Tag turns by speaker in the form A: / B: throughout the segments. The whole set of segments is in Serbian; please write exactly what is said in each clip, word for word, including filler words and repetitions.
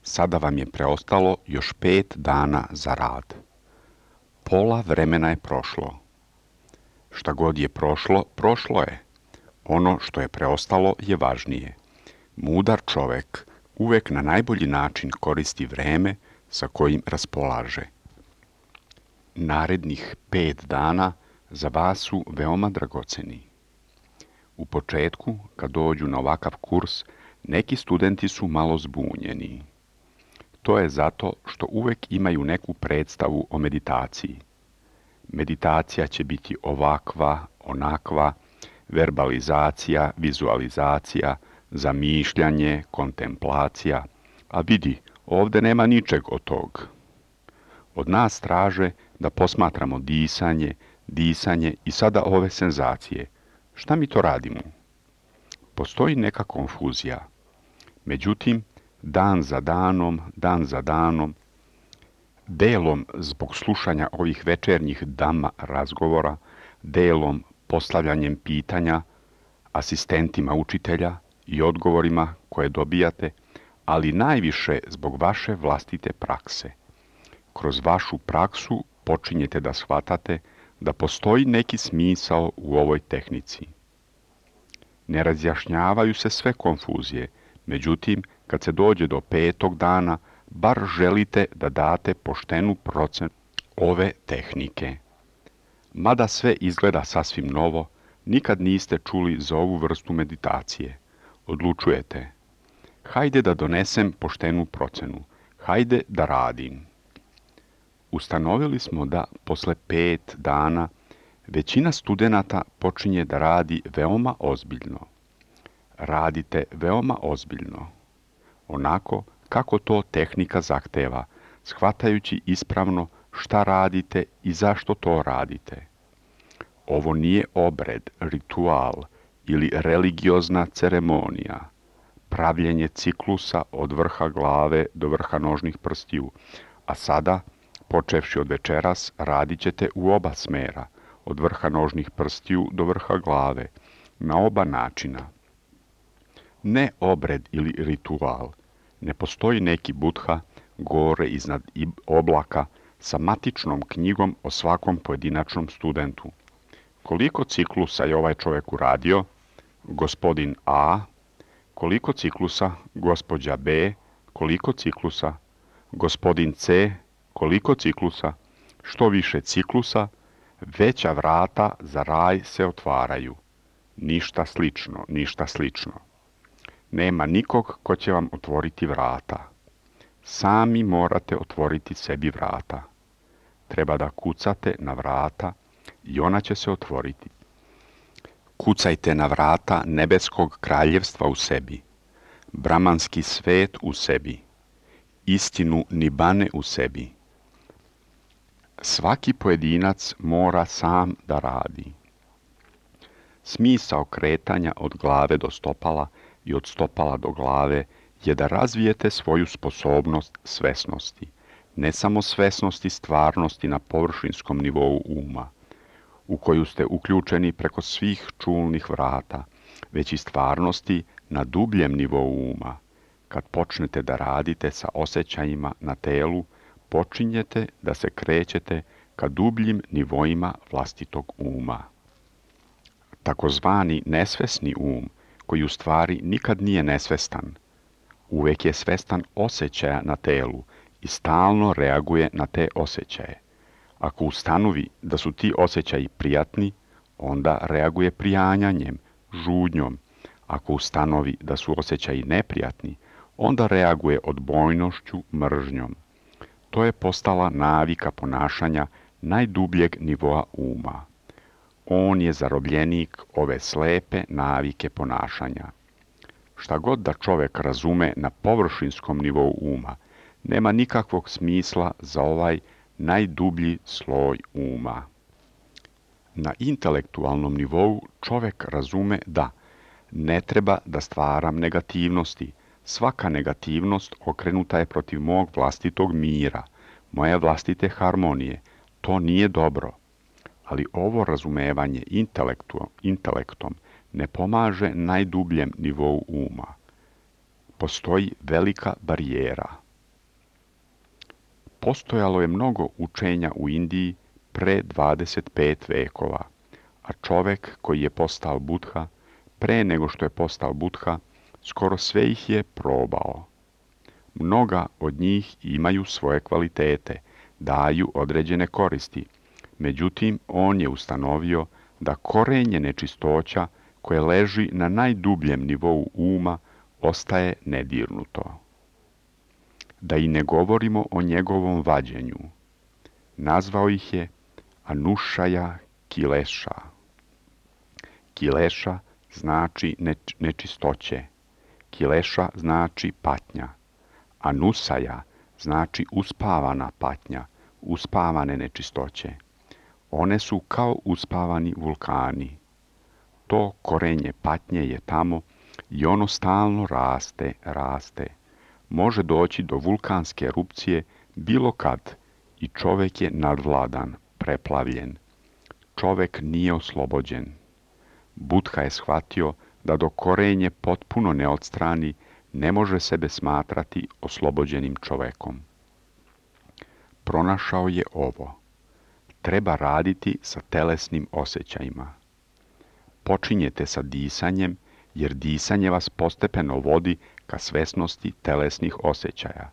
A: Sada vam je preostalo još pet dana za rad. Pola vremena je prošlo. Šta god je prošlo, prošlo je. Ono što je preostalo je važnije. Mudar čovek uvek na najbolji način koristi vreme sa kojim raspolaže. Narednih pet dana za vas su veoma dragoceni. U početku, kad dođu na ovakav kurs, neki studenti su malo zbunjeni. To je zato što uvek imaju neku predstavu o meditaciji. Meditacija će biti ovakva, onakva, verbalizacija, vizualizacija, zamišljanje, kontemplacija, a vidi, ovde nema ničeg od tog. Od nas traže da posmatramo disanje, disanje i sada ove senzacije. Šta mi to radimo? Postoji neka konfuzija. Međutim, dan za danom, dan za danom, delom zbog slušanja ovih večernjih dama razgovora, delom postavljanjem pitanja asistentima učitelja i odgovorima koje dobijate, ali najviše zbog vaše vlastite prakse. Kroz vašu praksu počinjete da shvatate da postoji neki smisao u ovoj tehnici. Ne razjašnjavaju se sve konfuzije, međutim, kad se dođe do petog dana, bar želite da date poštenu procenu ove tehnike. Mada sve izgleda sasvim novo, nikad niste čuli za ovu vrstu meditacije. Odlučujete. Hajde da donesem poštenu procenu. Hajde da radim. Ustanovili smo da posle pet dana većina studenata počinje da radi veoma ozbiljno. Radite veoma ozbiljno. Onako kako to tehnika zahteva, shvatajući ispravno šta radite i zašto to radite. Ovo nije obred, ritual ili religiozna ceremonija, pravljenje ciklusa od vrha glave do vrha nožnih prstiju, a sada, počevši od večeras, radit ćete u oba smera, od vrha nožnih prstiju do vrha glave, na oba načina. Ne obred ili ritual, ne postoji neki Budha gore iznad oblaka sa matičnom knjigom o svakom pojedinačnom studentu. Koliko ciklusa je ovaj čovjek uradio? Gospodin A. Koliko ciklusa? Gospođa B. Koliko ciklusa? Gospodin C. Koliko ciklusa? Što više ciklusa, veća vrata za raj se otvaraju. Ništa slično, ništa slično. Nema nikog ko će vam otvoriti vrata. Sami morate otvoriti sebi vrata. Treba da kucate na vrata i ona će se otvoriti. Kucajte na vrata nebeskog kraljevstva u sebi, bramanski svet u sebi, istinu nibane u sebi. Svaki pojedinac mora sam da radi. Smisao kretanja od glave do stopala i od stopala do glave je da razvijete svoju sposobnost svesnosti, ne samo svesnosti stvarnosti na površinskom nivou uma, u koju ste uključeni preko svih čulnih vrata, već i stvarnosti na dubljem nivou uma. Kad počnete da radite sa osjećajima na telu, počinjete da se krećete ka dubljim nivoima vlastitog uma. Takozvani nesvesni um, koji u stvari nikad nije nesvestan, uvek je svestan osjećaja na telu i stalno reaguje na te osjećaje. Ako ustanovi da su ti osjećaji prijatni, onda reaguje prijanjanjem, žudnjom. Ako ustanovi da su osjećaji neprijatni, onda reaguje odbojnošću, mržnjom. To je postala navika ponašanja najdubljeg nivoa uma. On je zarobljenik ove slepe navike ponašanja. Šta god da čovek razume na površinskom nivou uma, nema nikakvog smisla za ovaj najdublji sloj uma. Na intelektualnom nivou čovek razume da ne treba da stvaram negativnosti. Svaka negativnost okrenuta je protiv mog vlastitog mira, moje vlastite harmonije. To nije dobro. Ali ovo razumevanje intelektom ne pomaže najdubljem nivou uma. postoji velika barijera. Postojalo je mnogo učenja u Indiji pre dvadeset pet vekova, a čovek koji je postao Budha, pre nego što je postao Budha, skoro sve ih je probao. Mnoga od njih imaju svoje kvalitete, daju određene koristi, međutim on je ustanovio da korenje nečistoća koje leži na najdubljem nivou uma ostaje nedirnuto. Da i ne govorimo o njegovom vađenju. Nazvao ih je Anušaja Kileša. Kileša znači neč- nečistoće. Kileša znači patnja. Anusaja znači uspavana patnja, uspavane nečistoće. One su kao uspavani vulkani. To korenje patnje je tamo i ono stalno raste, raste. Može doći do vulkanske erupcije bilo kad i čovek je nadvladan, preplavljen. Čovek nije oslobođen. Budha je shvatio da dok korenje potpuno ne odstrani, ne može sebe smatrati oslobođenim čovekom. Pronašao je ovo. Treba raditi sa telesnim osjećajima. Počinjete sa disanjem, jer disanje vas postepeno vodi ka svesnosti telesnih osjećaja.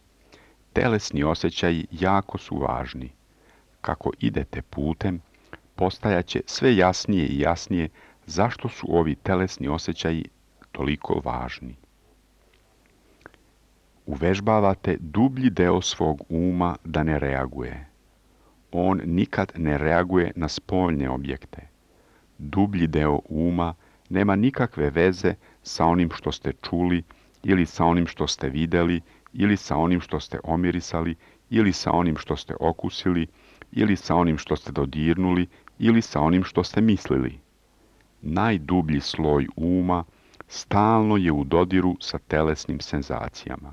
A: Telesni osjećaji jako su važni. Kako idete putem, postajaće sve jasnije i jasnije zašto su ovi telesni osjećaji toliko važni. Uvežbavate dublji deo svog uma da ne reaguje. On nikad ne reaguje na spoljne objekte. Dublji deo uma nema nikakve veze sa onim što ste čuli ili sa onim što ste vidjeli ili sa onim što ste omirisali ili sa onim što ste okusili ili sa onim što ste dodirnuli ili sa onim što ste mislili. Najdublji sloj uma stalno je u dodiru sa telesnim senzacijama.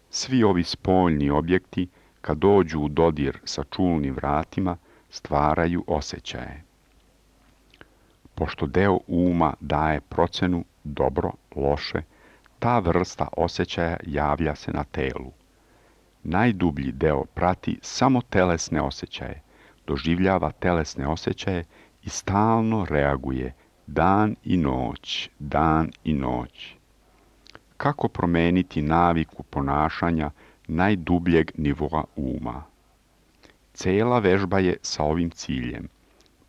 A: Svi ovi spoljni objekti, kad dođu u dodir sa čulnim vratima, stvaraju osjećaje. Pošto deo uma daje procenu dobro, loše, ta vrsta osjećaja javlja se na telu. Najdublji deo prati samo telesne osjećaje, doživljava telesne osjećaje i stalno reaguje dan i noć, dan i noć. Kako promeniti naviku ponašanja najdubljeg nivoa uma? Cela vežba je sa ovim ciljem.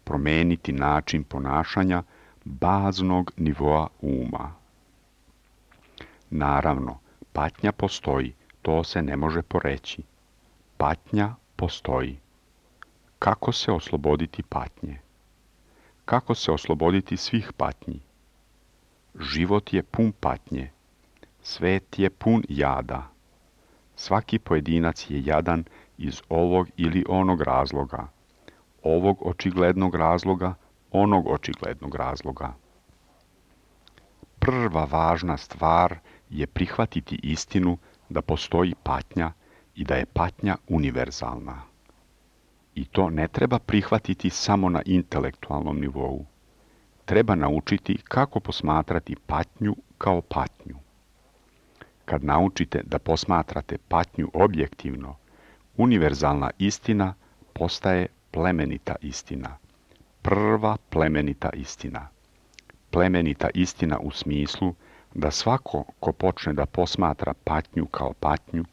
A: Promeniti način ponašanja baznog nivoa uma. Naravno, patnja postoji, to se ne može poreći. Patnja postoji. Kako se osloboditi patnje? Kako se osloboditi svih patnji? Život je pun patnje. Svet je pun jada. Svaki pojedinac je jadan iz ovog ili onog razloga. Ovog očiglednog razloga, onog očiglednog razloga. Prva važna stvar je prihvatiti istinu da postoji patnja i da je patnja univerzalna. I to ne treba prihvatiti samo na intelektualnom nivou. Treba naučiti kako posmatrati patnju kao patnju. Kad naučite da posmatrate patnju objektivno, univerzalna istina postaje plemenita istina. Prva plemenita istina. Plemenita istina u smislu da svako ko počne da posmatra patnju kao patnju,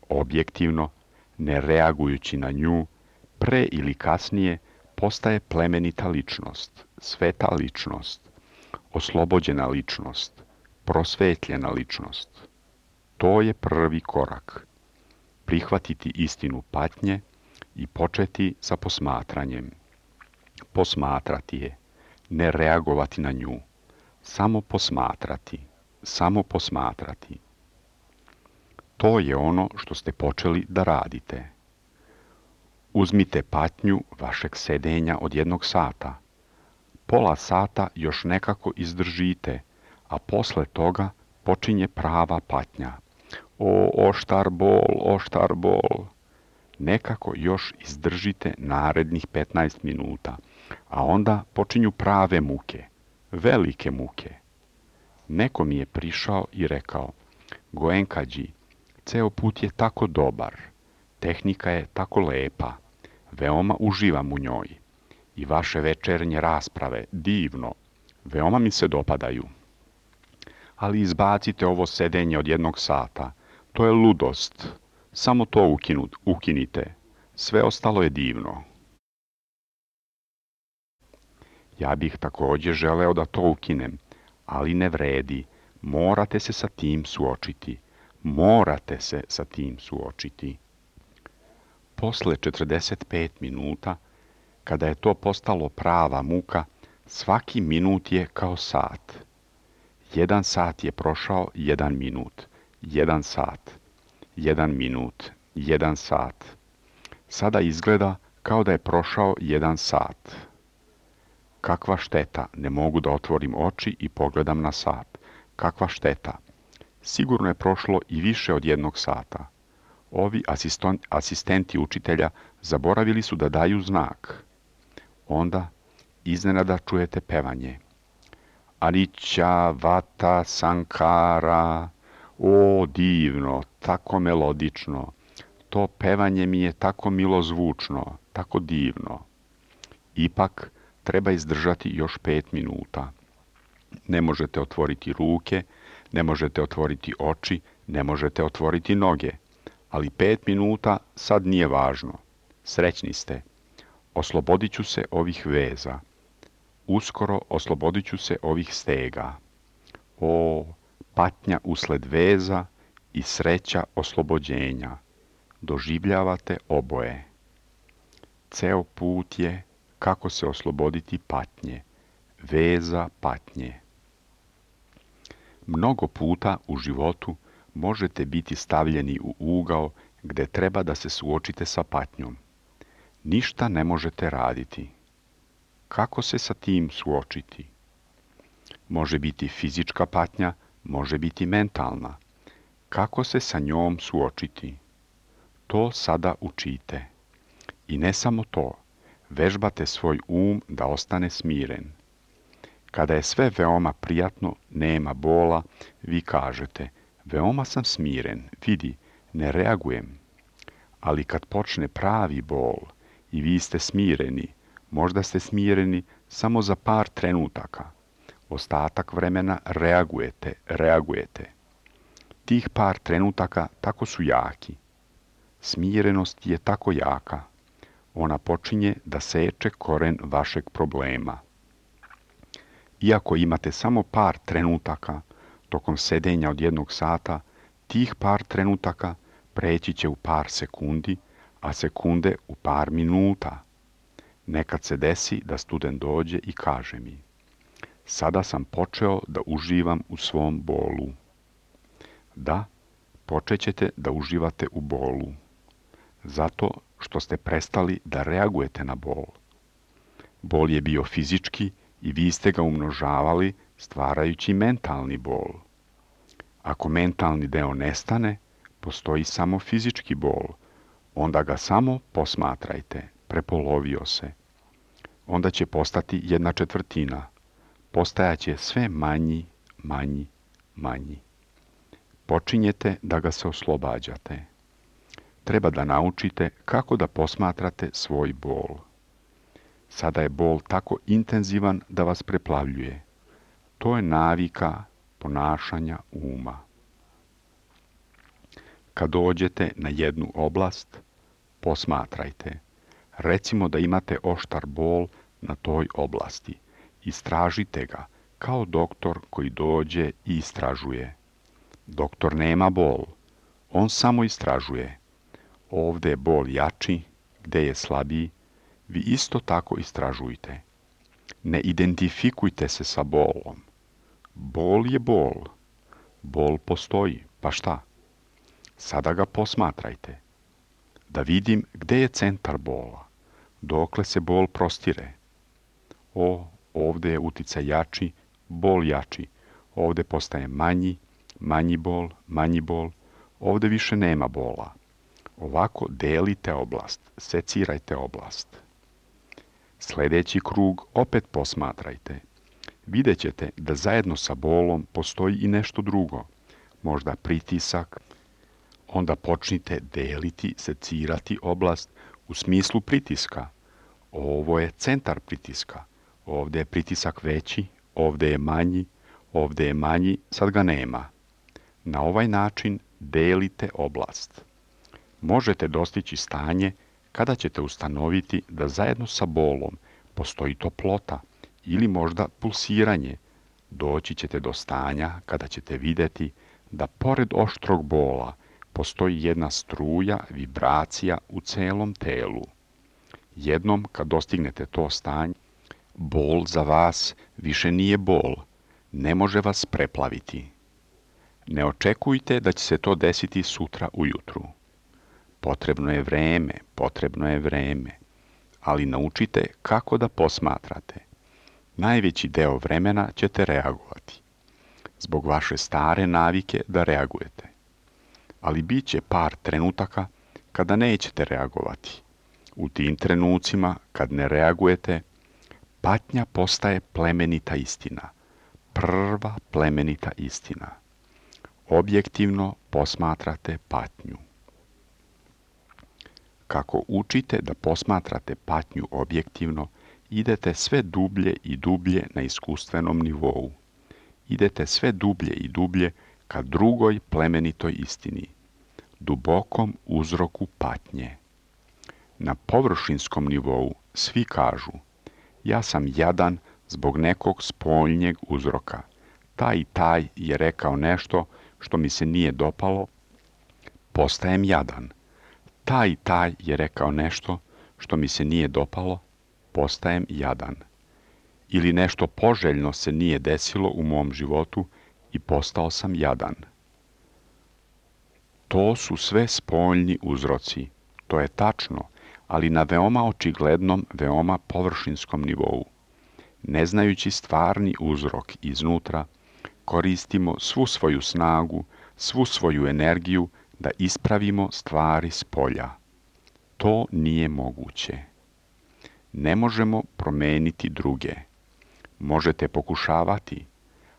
A: objektivno, ne reagujući na nju, pre ili kasnije postaje plemenita ličnost, sveta ličnost, oslobođena ličnost, prosvetljena ličnost. To je prvi korak. Prihvatiti istinu patnje i početi sa posmatranjem. Posmatrati je, ne reagovati na nju. Samo posmatrati, samo posmatrati. To je ono što ste počeli da radite. Uzmite patnju vašeg sedenja od jednog sata. Pola sata još nekako izdržite, a posle toga počinje prava patnja. O, oštar bol, oštar bol. Nekako još izdržite narednih petnaest minuta, a onda počinju prave muke, velike muke. Neko mi je prišao i rekao, Goenkađi, ceo put je tako dobar, tehnika je tako lepa, veoma uživam u njoj. I vaše večernje rasprave, divno, veoma mi se dopadaju. Ali izbacite ovo sedenje od jednog sata, to je ludost, samo to ukinu, ukinite, sve ostalo je divno. Ja bih također želeo da to ukinem, ali ne vredi, morate se sa tim suočiti, morate se sa tim suočiti. Posle četrdeset pet minuta, kada je to postalo prava muka, svaki minut je kao sat. Jedan sat je prošao jedan minut, jedan sat, jedan minut, jedan sat. Sada izgleda kao da je prošao jedan sat. Kakva šteta, ne mogu da otvorim oči i pogledam na sat. Kakva šteta. Sigurno je prošlo i više od jednog sata. Ovi asistenti učitelja zaboravili su da daju znak. Onda iznenada čujete pevanje. Anicca Vata Sankara, o divno, tako melodično, to pevanje mi je tako milozvučno, tako divno. Ipak treba izdržati još pet minuta. Ne možete otvoriti ruke, ne možete otvoriti oči, ne možete otvoriti noge, ali pet minuta sad nije važno. Srećni ste. Oslobodit ću se ovih veza. Uskoro oslobodit ću se ovih stega. O, patnja usled veza i sreća oslobođenja. Doživljavate oboje. Ceo put je kako se osloboditi patnje, veza patnje. Mnogo puta u životu možete biti stavljeni u ugao gde treba da se suočite sa patnjom. Ništa ne možete raditi. Kako se sa tim suočiti? Može biti fizička patnja, može biti mentalna. Kako se sa njom suočiti? To sada učite. I ne samo to, vežbate svoj um da ostane smiren. Kada je sve veoma prijatno, nema bola, vi kažete, veoma sam smiren, vidi, ne reagujem. Ali kad počne pravi bol i vi ste smireni, možda ste smireni samo za par trenutaka. Ostatak vremena reagujete, reagujete. Tih par trenutaka tako su jaki. Smirenost je tako jaka. Ona počinje da seče koren vašeg problema. Iako imate samo par trenutaka tokom sedenja od jednog sata, tih par trenutaka preći će u par sekundi, a sekunde u par minuta. Nekad se desi da student dođe i kaže mi, sada sam počeo da uživam u svom bolu. Da, počet ćete da uživate u bolu. Zato što ste prestali da reagujete na bol. Bol je bio fizički i vi ste ga umnožavali stvarajući mentalni bol. Ako mentalni deo nestane, postoji samo fizički bol. Onda ga samo posmatrajte, prepolovio se. Onda će postati jedna četvrtina. Postajaće sve manji, manji, manji. Počinjete da ga se oslobađate. Treba da naučite kako da posmatrate svoj bol. Sada je bol tako intenzivan da vas preplavljuje. To je navika ponašanja uma. Kad dođete na jednu oblast, posmatrajte. Recimo da imate oštar bol na toj oblasti. Istražite ga kao doktor koji dođe i istražuje. Doktor nema bol. On samo istražuje. Ovdje je bol jači, gdje je slabiji, vi isto tako istražujte. Ne identifikujte se sa bolom. Bol je bol. Bol postoji, pa šta? Sada ga posmatrajte. Da vidim gdje je centar bola, dokle se bol prostire. O, ovdje je uticaj jači, bol jači. Ovdje postaje manji, manji bol, manji bol. Ovdje više nema bola. Ovako delite oblast, secirajte oblast. Sljedeći krug opet posmatrajte. Vidjet ćete da zajedno sa bolom postoji i nešto drugo. možda pritisak, onda počnite deliti, secirati oblast u smislu pritiska. Ovo je centar pritiska. Ovdje je pritisak veći, ovdje je manji, ovdje je manji, sad ga nema. Na ovaj način delite oblast. Možete dostići stanje kada ćete ustanoviti da zajedno sa bolom postoji toplota ili možda pulsiranje. Doći ćete do stanja kada ćete vidjeti da pored oštrog bola postoji jedna struja, vibracija u celom telu. Jednom kad dostignete to stanje, bol za vas više nije bol, ne može vas preplaviti. Ne očekujte da će se to desiti sutra ujutru. Potrebno je vreme, potrebno je vreme, ali naučite kako da posmatrate. Najveći deo vremena ćete reagovati, zbog vaše stare navike da reagujete. Ali bit će par trenutaka kada nećete reagovati. U tim trenucima, kad ne reagujete, patnja postaje plemenita istina. Prva plemenita istina. Objektivno posmatrate patnju. Kako učite da posmatrate patnju objektivno, idete sve dublje i dublje na iskustvenom nivou. Idete sve dublje i dublje ka drugoj plemenitoj istini, dubokom uzroku patnje. Na površinskom nivou svi kažu, ja sam jadan zbog nekog spoljnjeg uzroka. Taj i taj je rekao nešto što mi se nije dopalo, postajem jadan. Taj i taj je rekao nešto što mi se nije dopalo, postajem jadan. Ili nešto poželjno se nije desilo u mom životu i postao sam jadan. To su sve spoljni uzroci. To je tačno, ali na veoma očiglednom, veoma površinskom nivou. Ne znajući stvarni uzrok iznutra, koristimo svu svoju snagu, svu svoju energiju da ispravimo stvari s polja. To nije moguće. Ne možemo promeniti druge. Možete pokušavati,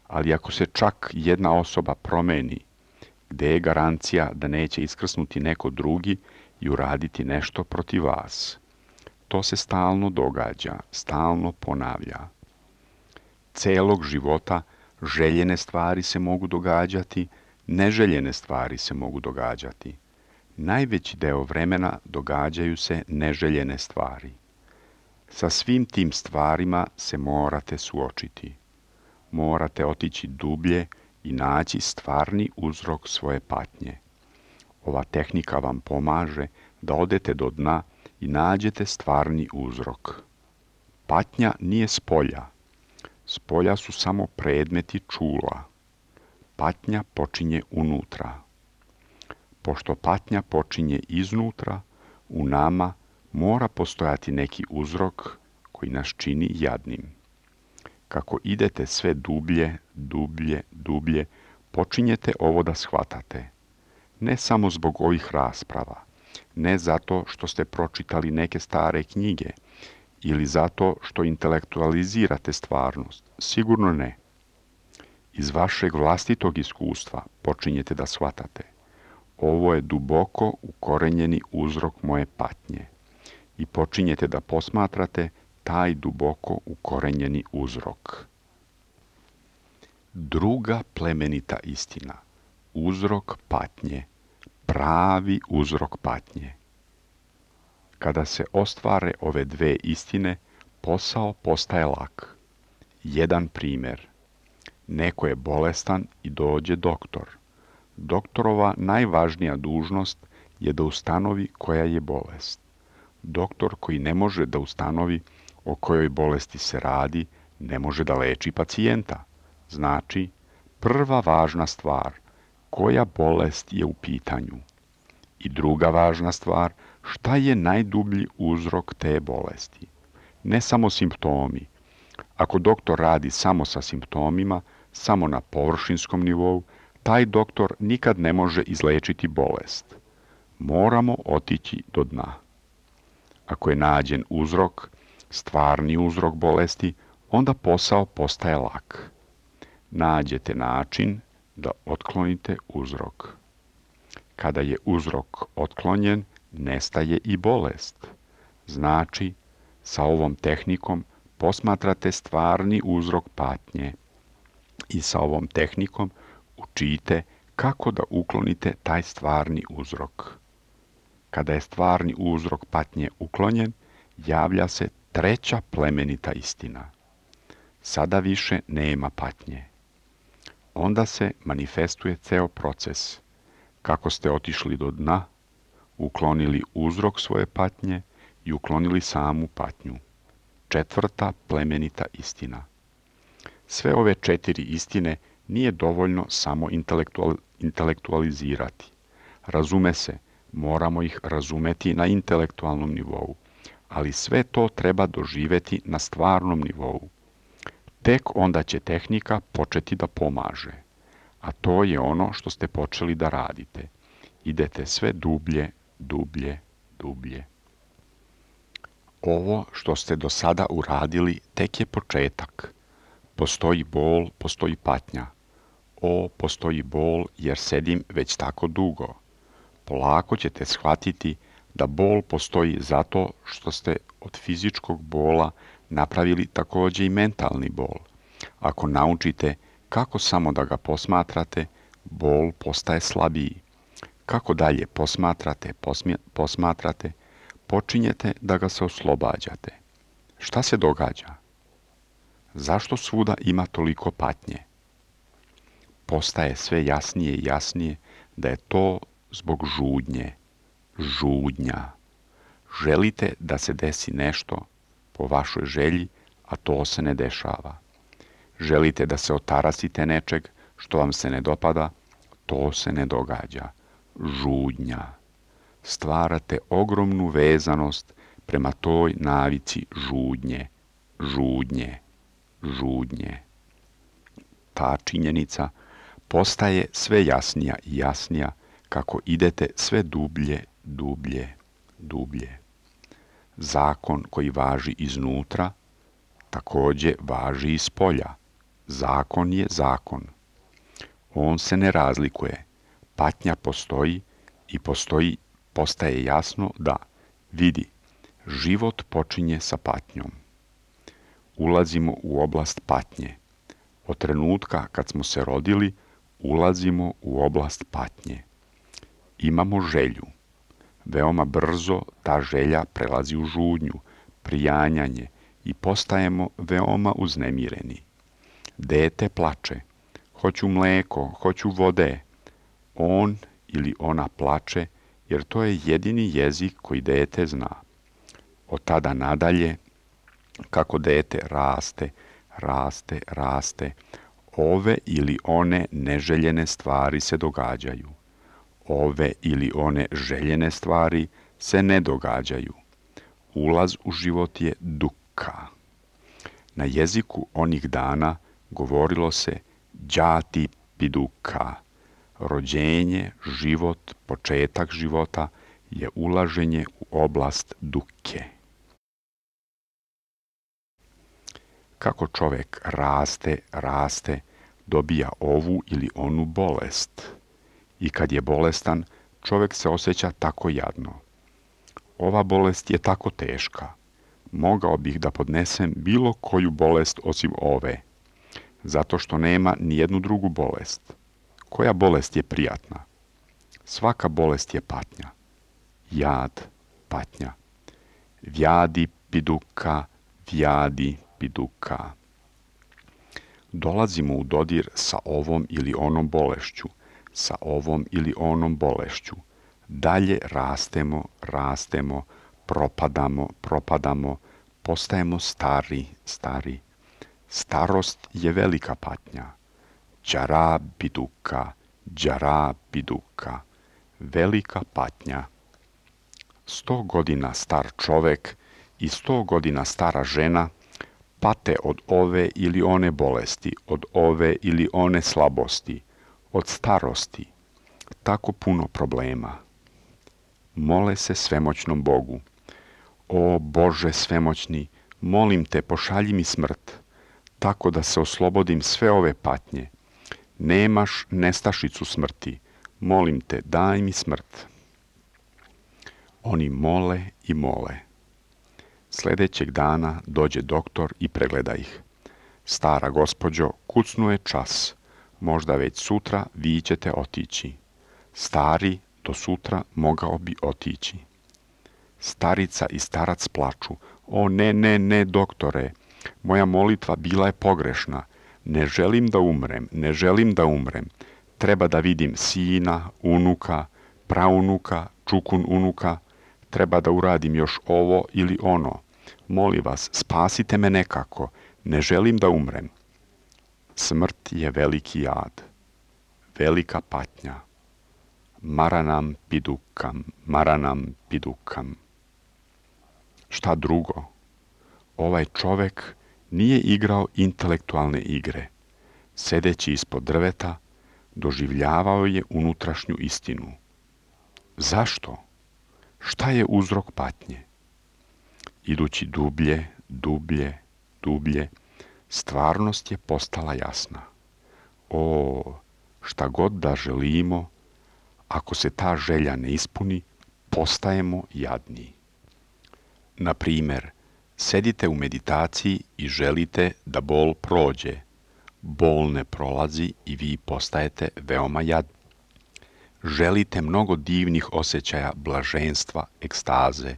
A: ali ako se čak jedna osoba promeni, gde je garancija da neće iskrsnuti neko drugi i uraditi nešto protiv vas? To se stalno događa, stalno ponavlja. Celog života željene stvari se mogu događati, neželjene stvari se mogu događati. Najveći deo vremena događaju se neželjene stvari. Sa svim tim stvarima se morate suočiti. Morate otići dublje i naći stvarni uzrok svoje patnje. Ova tehnika vam pomaže da odete do dna i nađete stvarni uzrok. Patnja nije s polja. S polja su samo predmeti čula. Patnja počinje unutra. Pošto patnja počinje iznutra, u nama mora postojati neki uzrok koji nas čini jadnim. Kako idete sve dublje, dublje, dublje, počinjete ovo da shvatate. Ne samo zbog ovih rasprava, ne zato što ste pročitali neke stare knjige ili zato što intelektualizirate stvarnost, sigurno ne. Iz vašeg vlastitog iskustva počinjete da shvatate. Ovo je duboko ukorenjeni uzrok moje patnje. I počinjete da posmatrate taj duboko ukorenjeni uzrok. Druga plemenita istina. Uzrok patnje. Pravi uzrok patnje. Kada se ostvare ove dve istine, posao postaje lak. Jedan primjer. Neko je bolestan i dođe doktor. Doktorova najvažnija dužnost je da ustanovi koja je bolest. Doktor koji ne može da ustanovi o kojoj bolesti se radi, ne može da leči pacijenta. Znači, prva važna stvar, koja bolest je u pitanju. I druga važna stvar, šta je najdublji uzrok te bolesti. Ne samo simptomi. Ako doktor radi samo sa simptomima, samo na površinskom nivou, taj doktor nikad ne može izlečiti bolest. Moramo otići do dna. Ako je nađen uzrok, stvarni uzrok bolesti, onda posao postaje lak. Nađete način da otklonite uzrok. Kada je uzrok otklonjen, nestaje i bolest. Znači, sa ovom tehnikom posmatrate stvarni uzrok patnje i sa ovom tehnikom učite kako da uklonite taj stvarni uzrok. Kada je stvarni uzrok patnje uklonjen, javlja se treća plemenita istina. Sada više nema patnje. Onda se manifestuje ceo proces. Kako ste otišli do dna, uklonili uzrok svoje patnje i uklonili samu patnju. Četvrta plemenita istina. Sve ove četiri istine nije dovoljno samo intelektual, intelektualizirati. Razume se, moramo ih razumeti na intelektualnom nivou, ali sve to treba doživeti na stvarnom nivou. Tek onda će tehnika početi da pomaže, a to je ono što ste počeli da radite. Idete sve dublje, dublje, dublje. Ovo što ste do sada uradili tek je početak. Postoji bol, postoji patnja. O, postoji bol jer sedim već tako dugo. Polako ćete shvatiti da bol postoji zato što ste od fizičkog bola napravili takođe i mentalni bol. Ako naučite kako samo da ga posmatrate, bol postaje slabiji. Kako dalje posmatrate, posmje, posmatrate, počinjete da ga se oslobađate. Šta se događa? Zašto svuda ima toliko patnje? Postaje sve jasnije i jasnije da je to zbog žudnje. Žudnja. Želite da se desi nešto po vašoj želji, a to se ne dešava. Želite da se otarasite nečeg što vam se ne dopada, to se ne događa. Žudnja. Stvarate ogromnu vezanost prema toj navici žudnje, žudnje, žudnje. Ta činjenica postaje sve jasnija i jasnija kako idete sve dublje, dublje, dublje. Zakon koji važi iznutra takođe važi iz polja. Zakon je zakon. On se ne razlikuje. Patnja postoji i postoji, postaje jasno da, vidi, život počinje sa patnjom. Ulazimo u oblast patnje. Od trenutka kad smo se rodili, ulazimo u oblast patnje. Imamo želju. Veoma brzo ta želja prelazi u žudnju, prijanjanje i postajemo veoma uznemireni. Dete plače. Hoću mleko, hoću vode. On ili ona plače jer to je jedini jezik koji dete zna. Od tada nadalje, kako dete raste, raste, raste, ove ili one neželjene stvari se događaju. Ove ili one željene stvari se ne događaju. Ulaz u život je duka. Na jeziku onih dana govorilo se đati piduka. Rođenje, život, početak života je ulaženje u oblast duke. Kako čovjek raste, raste, dobija ovu ili onu bolest. I kad je bolestan, čovjek se osjeća tako jadno. Ova bolest je tako teška. Mogao bih da podnesem bilo koju bolest osim ove, zato što nema ni jednu drugu bolest. Koja bolest je prijatna? Svaka bolest je patnja. Jad, patnja. Vjadi piduka, vjadi piduka. Dolazimo u dodir sa ovom ili onom bolešću, sa ovom ili onom bolešću. Dalje rastemo, rastemo, propadamo, propadamo, postajemo stari, stari. Starost je velika patnja. Đara biduka, đara biduka. Velika patnja. Sto godina star čovek i sto godina stara žena pate od ove ili one bolesti, od ove ili one slabosti, od starosti. Tako puno problema. Mole se svemoćnom Bogu. O Bože svemoćni, molim te, pošalji mi smrt, tako da se oslobodim sve ove patnje. Nemaš nestašicu smrti, molim te, daj mi smrt. Oni mole i mole. Sljedećeg dana dođe doktor i pregleda ih. Stara gospođo, kucnuo je čas, možda već sutra vi ćete otići. Stari do sutra mogao bi otići. Starica i starac plaču. O ne, ne, ne, doktore, moja molitva bila je pogrešna. Ne želim da umrem, ne želim da umrem. Treba da vidim sina, unuka, praunuka, čukun unuka. Treba da uradim još ovo ili ono. Molim vas, spasite me nekako. Ne želim da umrem. Smrt je veliki jad, velika patnja. Maranam pidukam, maranam pidukam. Šta drugo? Ovaj čovek nije igrao intelektualne igre. Sedeći ispod drveta, doživljavao je unutrašnju istinu. Zašto? Šta je uzrok patnje? Idući dublje, dublje, dublje, stvarnost je postala jasna. O, šta god da želimo, ako se ta želja ne ispuni, postajemo jadni. Na primjer, sedite u meditaciji i želite da bol prođe. Bol ne prolazi i vi postajete veoma jadni. Želite mnogo divnih osjećaja blaženstva, ekstaze.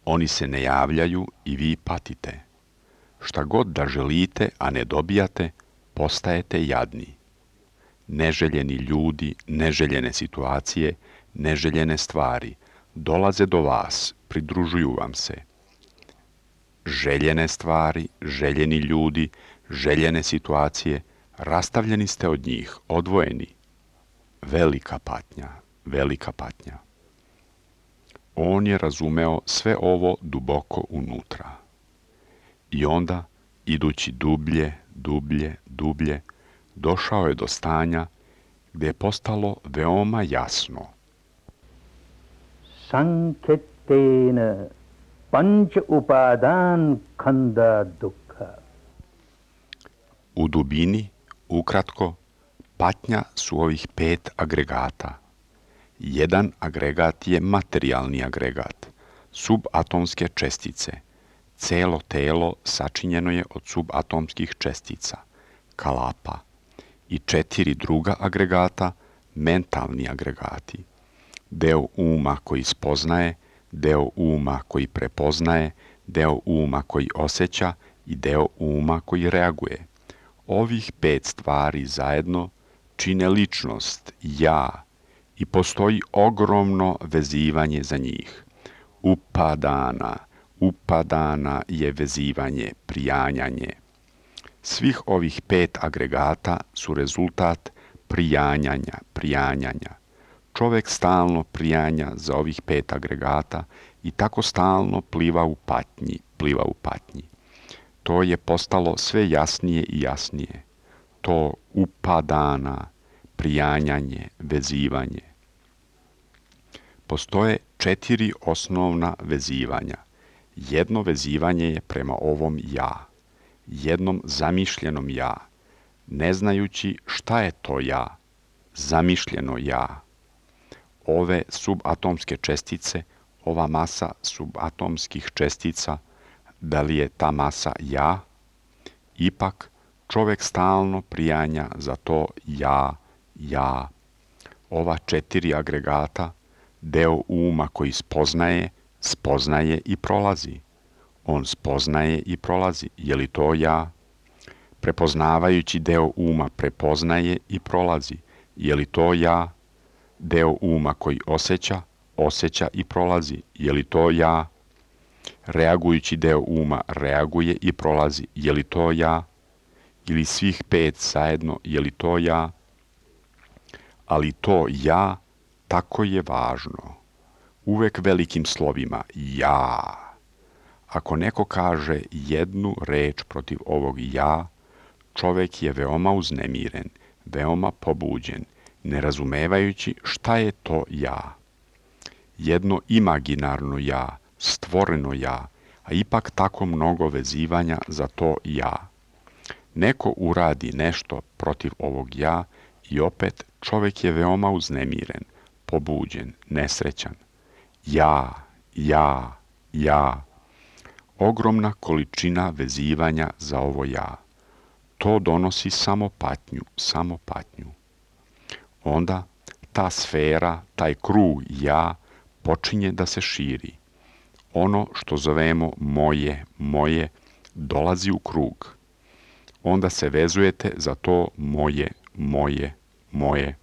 A: Oni se ne javljaju i vi patite. Šta god da želite, a ne dobijate, postajete jadni. Neželjeni ljudi, neželjene situacije, neželjene stvari dolaze do vas, pridružuju vam se. Željene stvari, željeni ljudi, željene situacije, rastavljeni ste od njih, odvojeni. Velika patnja, velika patnja. On je razumeo sve ovo duboko unutra. I onda, idući dublje, dublje, dublje, došao je do stanja gdje je postalo veoma jasno.
B: Sanketena panč upadan khanda dukkha.
A: U dubini, ukratko, patnja su ovih pet agregata. Jedan agregat je materijalni agregat, subatomske čestice. Celo telo sačinjeno je od subatomskih čestica, kalapa. I četiri druga agregata, mentalni agregati. Deo uma koji spoznaje, deo uma koji prepoznaje, deo uma koji osjeća i deo uma koji reaguje. Ovih pet stvari zajedno čine ličnost, ja, i postoji ogromno vezivanje za njih. Upadana, upadana je vezivanje, prijanjanje. Svih ovih pet agregata su rezultat prijanjanja, prijanjanja. Čovjek stalno prijanja za ovih pet agregata i tako stalno pliva u patnji, pliva u patnji. To je postalo sve jasnije i jasnije. To upadana, prijanjanje, vezivanje. Postoje četiri osnovna vezivanja. Jedno vezivanje je prema ovom ja, jednom zamišljenom ja, ne znajući šta je to ja, zamišljeno ja. Ove subatomske čestice, ova masa subatomskih čestica, da li je ta masa ja? Ipak čovjek stalno prijanja za to ja, ja. Ova četiri agregata, deo uma koji spoznaje, spoznaje i prolazi. On spoznaje i prolazi. Je li to ja? Prepoznavajući deo uma prepoznaje i prolazi. Je li to ja? Deo uma koji osjeća, osjeća i prolazi. Je li to ja? Reagujući deo uma reaguje i prolazi. Je li to ja? Ili svih pet zajedno, je li to ja? Ali to ja tako je važno. Uvek velikim slovima ja. Ako neko kaže jednu reč protiv ovog ja, čovjek je veoma uznemiren, veoma pobuđen, ne razumevajući šta je to ja. Jedno imaginarno ja, stvoreno ja, a ipak tako mnogo vezivanja za to ja. Neko uradi nešto protiv ovog ja I opet čovjek je veoma uznemiren, pobuđen, nesrećan. Ja, ja, ja. Ogromna količina vezivanja za ovo ja. To donosi samo patnju, samo patnju. Onda ta sfera, taj krug ja počinje da se širi. Ono što zovemo moje, moje, dolazi u krug. Onda se vezujete za to moje, moje, moje.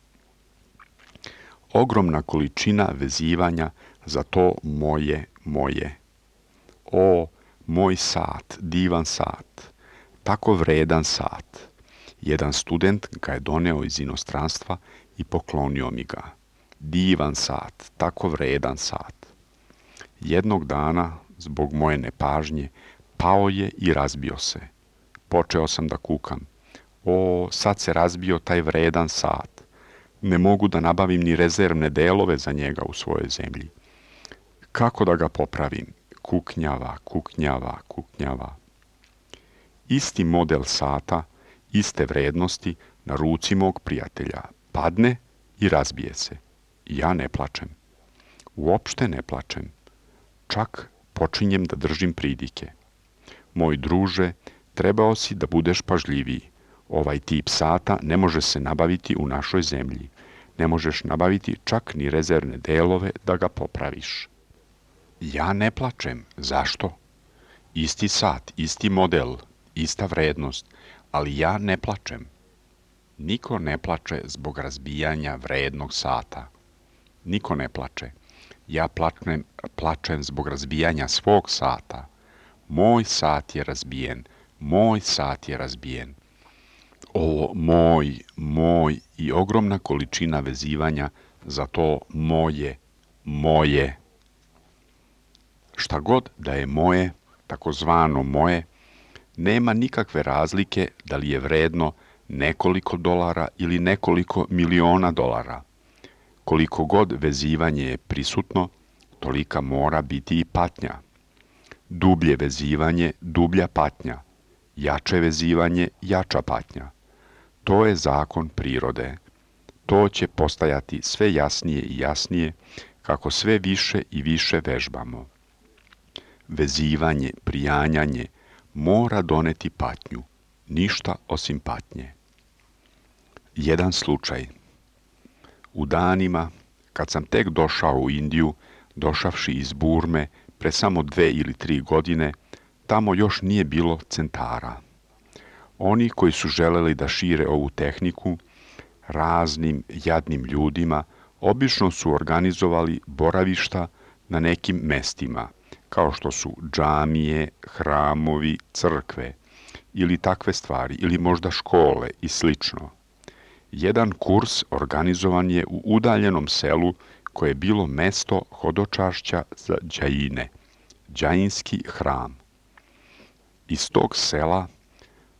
A: Ogromna količina vezivanja za to moje, moje. O, moj sat, divan sat, tako vredan sat. Jedan student ga je doneo iz inostranstva i poklonio mi ga. Divan sat, tako vredan sat. Jednog dana, zbog moje nepažnje, pao je i razbio se. Počeo sam da kukam. O, sad se razbio taj vredan sat. Ne mogu da nabavim ni rezervne delove za njega u svojoj zemlji. Kako da ga popravim? Kuknjava, kuknjava, kuknjava. Isti model sata, iste vrednosti na ruci mog prijatelja padne i razbije se. Ja ne plačem. Uopšte ne plačem. Čak počinjem da držim pridike. Moj druže, trebao si da budeš pažljiviji. Ovaj tip sata ne može se nabaviti u našoj zemlji. Ne možeš nabaviti čak ni rezervne delove da ga popraviš. Ja ne plačem. Zašto? Isti sat, isti model, ista vrednost, ali ja ne plačem. Niko ne plače zbog razbijanja vrednog sata. Niko ne plače. Ja plačem, plačem zbog razbijanja svog sata. Moj sat je razbijen. Moj sat je razbijen. O, moj, moj i ogromna količina vezivanja za to moje, moje. Šta god da je moje, takozvano moje, nema nikakve razlike da li je vredno nekoliko dolara ili nekoliko miliona dolara. Koliko god vezivanje je prisutno, tolika mora biti i patnja. Dublje vezivanje, dublja patnja. Jače vezivanje, jača patnja. To je zakon prirode. To će postajati sve jasnije i jasnije kako sve više i više vežbamo. Vezivanje, prijanjanje mora doneti patnju, ništa osim patnje. Jedan slučaj. U danima, kad sam tek došao u Indiju, došavši iz Burme pre samo dve ili tri godine, tamo još nije bilo centara. Oni koji su želeli da šire ovu tehniku, raznim jadnim ljudima, obično su organizovali boravišta na nekim mestima, kao što su džamije, hramovi, crkve, ili takve stvari, ili možda škole i slično. Jedan kurs organizovan je u udaljenom selu koje je bilo mesto hodočašća za džaine, džainski hram. Iz tog sela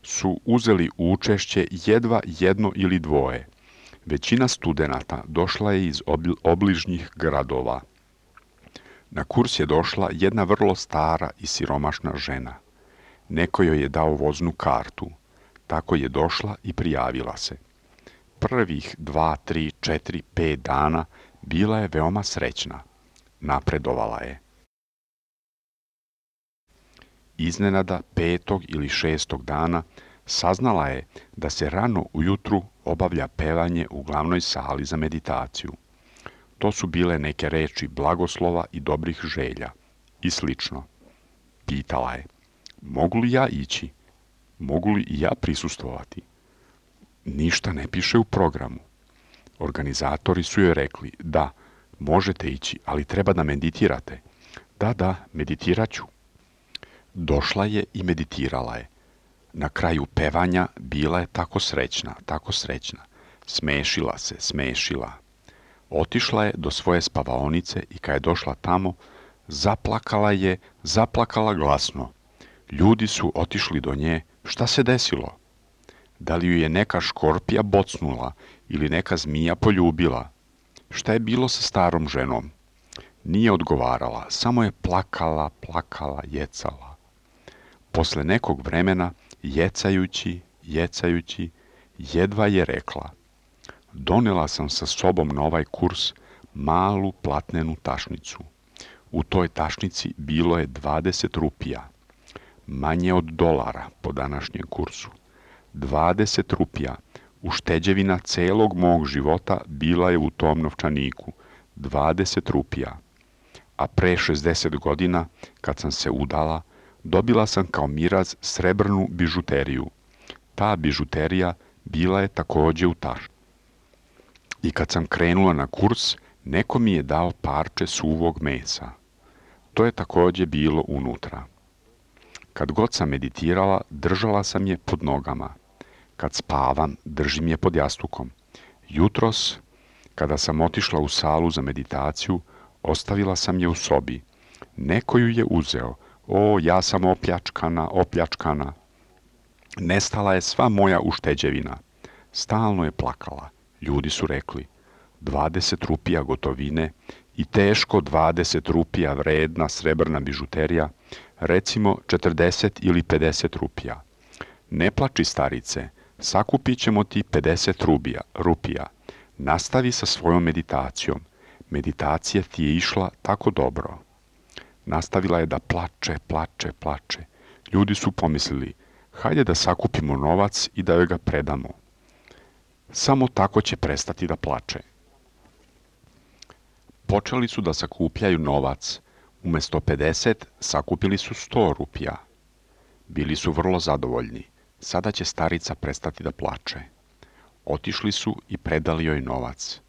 A: su uzeli učešće jedva jedno ili dvoje. Većina studenata došla je iz obližnjih gradova. Na kurs je došla jedna vrlo stara i siromašna žena. Neko joj je dao voznu kartu. Tako je došla i prijavila se. Prvih dva, tri, četiri, pet dana bila je veoma srećna. Napredovala je. Iznenada petog ili šestog dana saznala je da se rano ujutru obavlja pevanje u glavnoj sali za meditaciju. To su bile neke reči blagoslova i dobrih želja i slično. Pitala je, mogu li ja ići? Mogu li i ja prisustvovati? Ništa ne piše u programu. Organizatori su joj rekli, da, možete ići, ali treba da meditirate. Da, da, meditirat ću. Došla je i meditirala je. Na kraju pevanja bila je tako srećna, tako srećna. Smešila se, smešila. Otišla je do svoje spavaonice i kad je došla tamo, zaplakala je, zaplakala glasno. Ljudi su otišli do nje, šta se desilo? Da li ju je neka škorpija bocnula ili neka zmija poljubila? Šta je bilo sa starom ženom? Nije odgovarala, samo je plakala, plakala, jecala. Posle nekog vremena, jecajući, jecajući, jedva je rekla, donela sam sa sobom na ovaj kurs malu platnenu tašnicu. U toj tašnici bilo je dvadeset rupija, manje od dolara po današnjem kursu. dvadeset rupija, ušteđevina celog mog života bila je u tom novčaniku. dvadeset rupija. A pre šezdeset godina, kad sam se udala, dobila sam kao miraz srebrnu bižuteriju. Ta bižuterija bila je takođe u tašnici. I kad sam krenula na kurs, neko mi je dao parče suvog mesa. To je takođe bilo unutra. Kad god sam meditirala, držala sam je pod nogama. Kad spavam, držim je pod jastukom. Jutros, kada sam otišla u salu za meditaciju, ostavila sam je u sobi. Neko ju je uzeo. O, ja sam opljačkana, opljačkana. Nestala je sva moja ušteđevina. Stalno je plakala. Ljudi su rekli, dvadeset rupija gotovine i teško dvadeset rupija vredna srebrna bižuterija, recimo četrdeset ili pedeset rupija. Ne plači, starice, sakupit ćemo ti pedeset rubija, rupija. Nastavi sa svojom meditacijom. Meditacija ti je išla tako dobro. Nastavila je da plače, plače, plače. Ljudi su pomislili, hajde da sakupimo novac i da joj ga predamo. Samo tako će prestati da plače. Počeli su da sakupljaju novac. Umesto pedeset, sakupili su sto rupija. Bili su vrlo zadovoljni. Sada će starica prestati da plače. Otišli su i predali joj novac.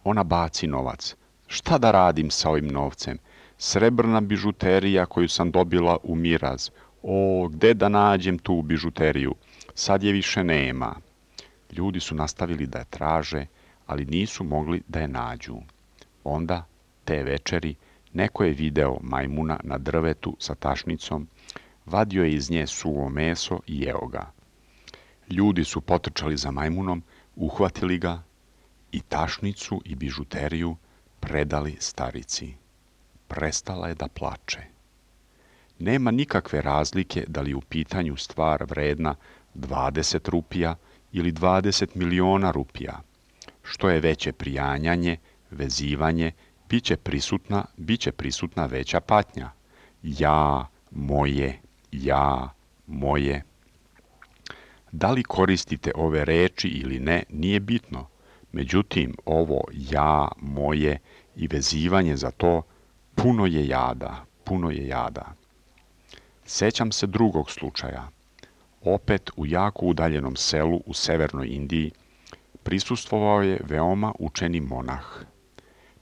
A: Ona baci novac. Šta da radim sa ovim novcem? Srebrna bižuterija koju sam dobila u miraz. O, gde da nađem tu bižuteriju? Sad je više nema. Ljudi su nastavili da je traže, ali nisu mogli da je nađu. Onda, te večeri, neko je video majmuna na drvetu sa tašnicom, vadio je iz nje suvo meso i jeo ga. Ljudi su potrčali za majmunom, uhvatili ga i tašnicu i bižuteriju predali starici. Prestala je da plače. Nema nikakve razlike da li u pitanju stvar vredna dvadeset rupija ili dvadeset miliona rupija. Što je veće prijanjanje, vezivanje, bit će prisutna, bit će prisutna veća patnja. Ja, moje, ja, moje. Da li koristite ove reči ili ne, nije bitno. Međutim, ovo ja, moje i vezivanje za to puno je jada, puno je jada. Sećam se drugog slučaja. Opet u jako udaljenom selu u severnoj Indiji prisustvovao je veoma učeni monah.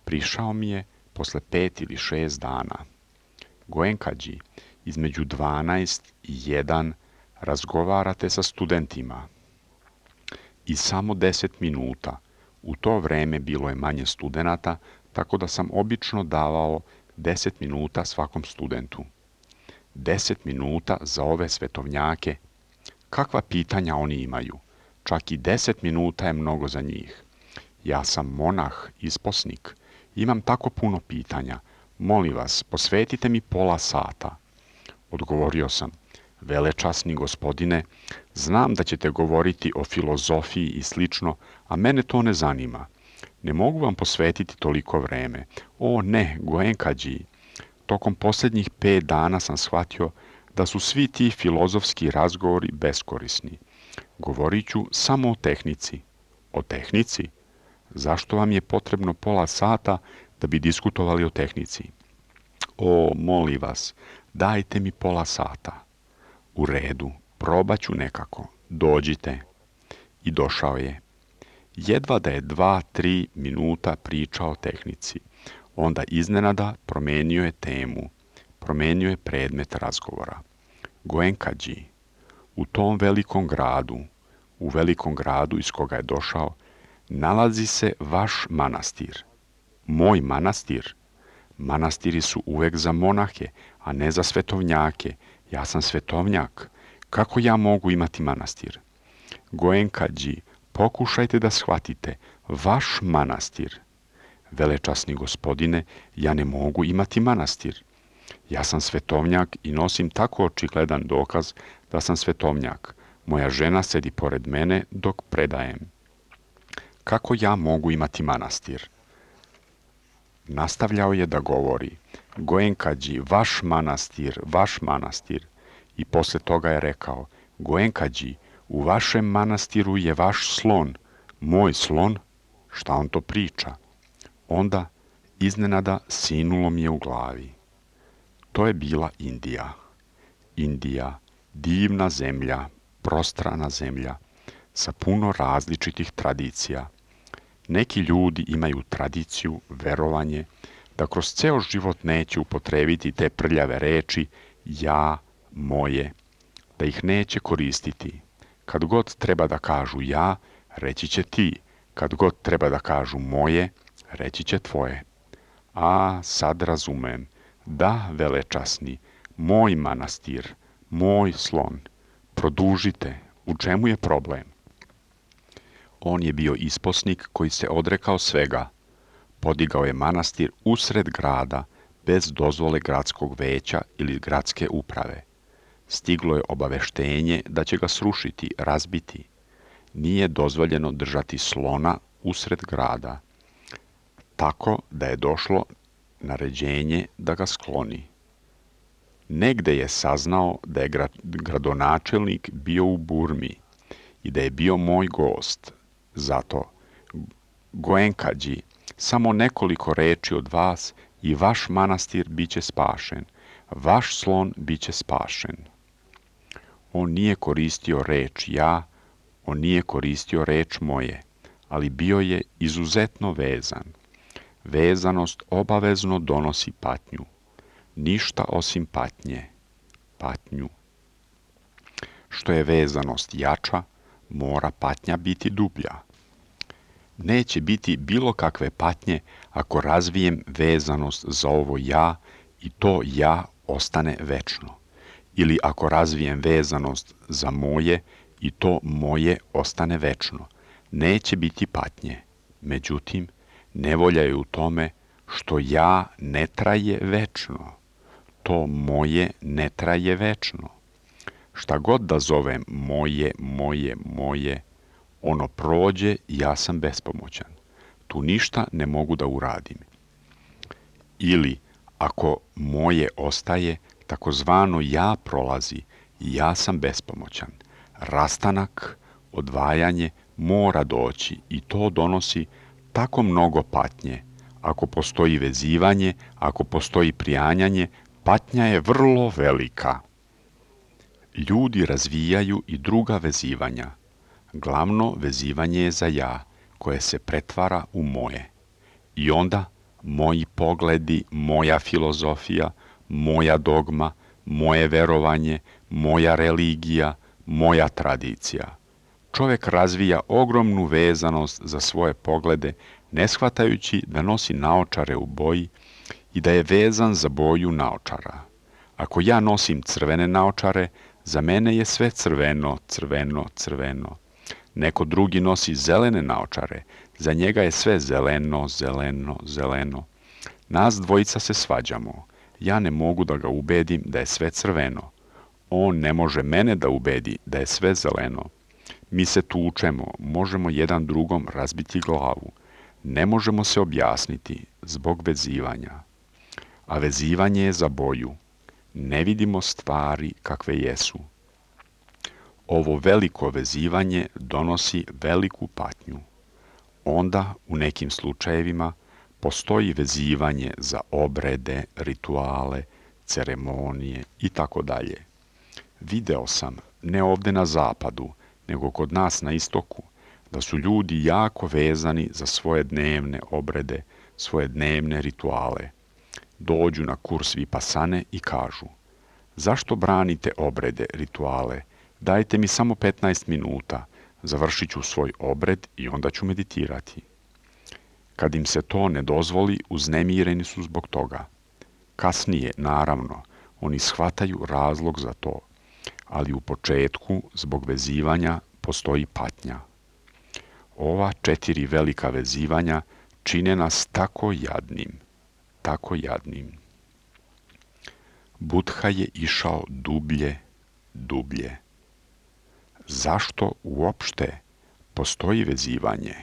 A: Prišao mi je posle pet ili šest dana. Goenkađi, između dvanaest i jedan razgovarate sa studentima. I samo deset minuta. U to vreme bilo je manje studenata, tako da sam obično davao deset minuta svakom studentu. Deset minuta za ove svetovnjake. Kakva pitanja oni imaju? Čak i deset minuta je mnogo za njih. Ja sam monah, isposnik. Imam tako puno pitanja. Molim vas, posvetite mi pola sata. Odgovorio sam, velečasni gospodine, znam da ćete govoriti o filozofiji i slično, a mene to ne zanima. Ne mogu vam posvetiti toliko vreme. O ne, Goenkađi. Tokom posljednjih pet dana sam shvatio da su svi ti filozofski razgovori beskorisni. Govorit ću samo o tehnici. O tehnici? Zašto vam je potrebno pola sata da bi diskutovali o tehnici? O, molim vas, dajte mi pola sata. U redu, probat ću nekako. Dođite. I došao je. Jedva da je dva, tri minuta pričao o tehnici. Onda iznenada promenio je temu. Promenio je predmet razgovora. Goenkađi, u tom velikom gradu, u velikom gradu iz koga je došao, nalazi se vaš manastir. Moj manastir? Manastiri su uvek za monahe, a ne za svetovnjake. Ja sam svetovnjak. Kako ja mogu imati manastir? Goenkađi, pokušajte da shvatite. Vaš manastir. Velečasni gospodine, ja ne mogu imati manastir. Ja sam svetovnjak i nosim tako očigledan dokaz da sam svetovnjak. Moja žena sedi pored mene dok predajem. Kako ja mogu imati manastir? Nastavljao je da govori, Goenkađi, vaš manastir, vaš manastir. I posle toga je rekao, Goenkađi, u vašem manastiru je vaš slon. Moj slon? Šta on to priča? Onda, iznenada, sinulo mi je u glavi. To je bila Indija. Indija, divna zemlja, prostrana zemlja, sa puno različitih tradicija. Neki ljudi imaju tradiciju, verovanje, da kroz ceo život neće upotrebiti te prljave reči ja, moje, da ih neće koristiti. Kad god treba da kažu ja, reći će ti. Kad god treba da kažu moje, reći će tvoje. A, sad razumem. Da, velečasni, moj manastir, moj slon. Produžite, u čemu je problem? On je bio isposnik koji se odrekao svega. Podigao je manastir usred grada, bez dozvole gradskog veća ili gradske uprave. Stiglo je obaveštenje da će ga srušiti, razbiti. Nije dozvoljeno držati slona usred grada, tako da je došlo naređenje da ga skloni. Negde je saznao da je gradonačelnik bio u Burmi i da je bio moj gost. Zato, Goenkađi, samo nekoliko reči od vas i vaš manastir biće spašen, vaš slon biće spašen. On nije koristio reč ja, on nije koristio reč moje, ali bio je izuzetno vezan. Vezanost obavezno donosi patnju. Ništa osim patnje. Patnju. Što je vezanost jača, mora patnja biti dublja. Neće biti bilo kakve patnje ako razvijem vezanost za ovo ja i to ja ostane večno. Ili ako razvijem vezanost za moje i to moje ostane večno. Neće biti patnje. Međutim, nevolja je u tome što ja ne traje večno. To moje ne traje večno. Šta god da zovem moje, moje, moje, ono prođe i ja sam bespomoćan. Tu ništa ne mogu da uradim. Ili, ako moje ostaje, takozvano ja prolazi i ja sam bespomoćan. Rastanak, odvajanje mora doći i to donosi tako mnogo patnje. Ako postoji vezivanje, ako postoji prijanjanje, patnja je vrlo velika. Ljudi razvijaju i druga vezivanja. Glavno vezivanje je za ja, koje se pretvara u moje. I onda moji pogledi, moja filozofija, moja dogma, moje verovanje, moja religija, moja tradicija. Čovjek razvija ogromnu vezanost za svoje poglede, ne shvatajući da nosi naočare u boji i da je vezan za boju naočara. Ako ja nosim crvene naočare, za mene je sve crveno, crveno, crveno. Neko drugi nosi zelene naočare, za njega je sve zeleno, zeleno, zeleno. Nas dvojica se svađamo. Ja ne mogu da ga ubedim da je sve crveno. On ne može mene da ubedi da je sve zeleno. Mi se tučemo, možemo jedan drugom razbiti glavu. Ne možemo se objasniti zbog vezivanja. A vezivanje je za boju. Ne vidimo stvari kakve jesu. Ovo veliko vezivanje donosi veliku patnju. Onda, u nekim slučajevima, postoji vezivanje za obrede, rituale, ceremonije i tako dalje. Video sam, ne ovde na zapadu, nego kod nas na istoku, da su ljudi jako vezani za svoje dnevne obrede, svoje dnevne rituale. Dođu na kurs Vipasane i kažu, zašto branite obrede, rituale? Dajte mi samo petnaest minuta, završit ću svoj obred i onda ću meditirati. Kad im se to ne dozvoli, uznemireni su zbog toga. Kasnije, naravno, oni shvataju razlog za to, ali u početku, zbog vezivanja, postoji patnja. Ova četiri velika vezivanja čine nas tako jadnim, tako jadnim. Budha je išao dublje, dublje. Zašto uopšte postoji vezivanje?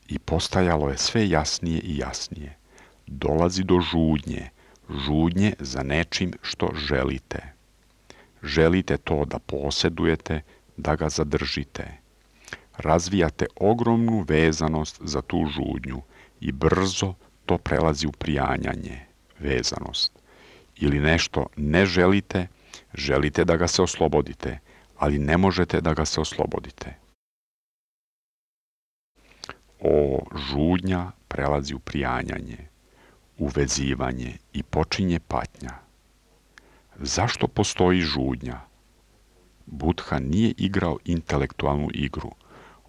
A: I postajalo je sve jasnije i jasnije. Dolazi do žudnje, žudnje za nečim što želite. Želite to da posjedujete, da ga zadržite. Razvijate ogromnu vezanost za tu žudnju i brzo to prelazi u prijanjanje, vezanost. Ili nešto ne želite, želite da ga se oslobodite, ali ne možete da ga se oslobodite. O, žudnja prelazi u prijanjanje, uvezivanje i počinje patnja. Zašto postoji žudnja? Buddha nije igrao intelektualnu igru.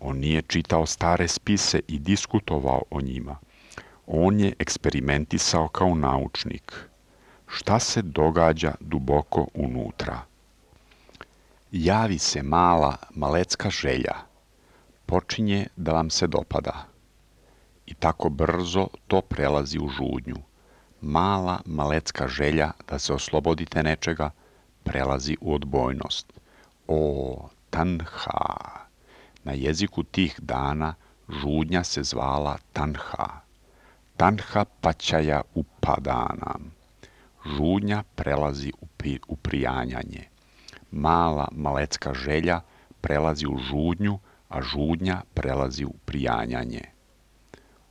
A: On nije čitao stare spise i diskutovao o njima. On je eksperimentisao kao naučnik. Šta se događa duboko unutra? Javi se mala, malecka želja. Počinje da vam se dopada. I tako brzo to prelazi u žudnju. Mala, malecka želja da se oslobodite nečega prelazi u odbojnost. O, tanha! Na jeziku tih dana žudnja se zvala tanha. Tanha pačaja upadana. Žudnja prelazi u, pri, u prijanjanje. Mala, malecka želja prelazi u žudnju, a žudnja prelazi u prijanjanje.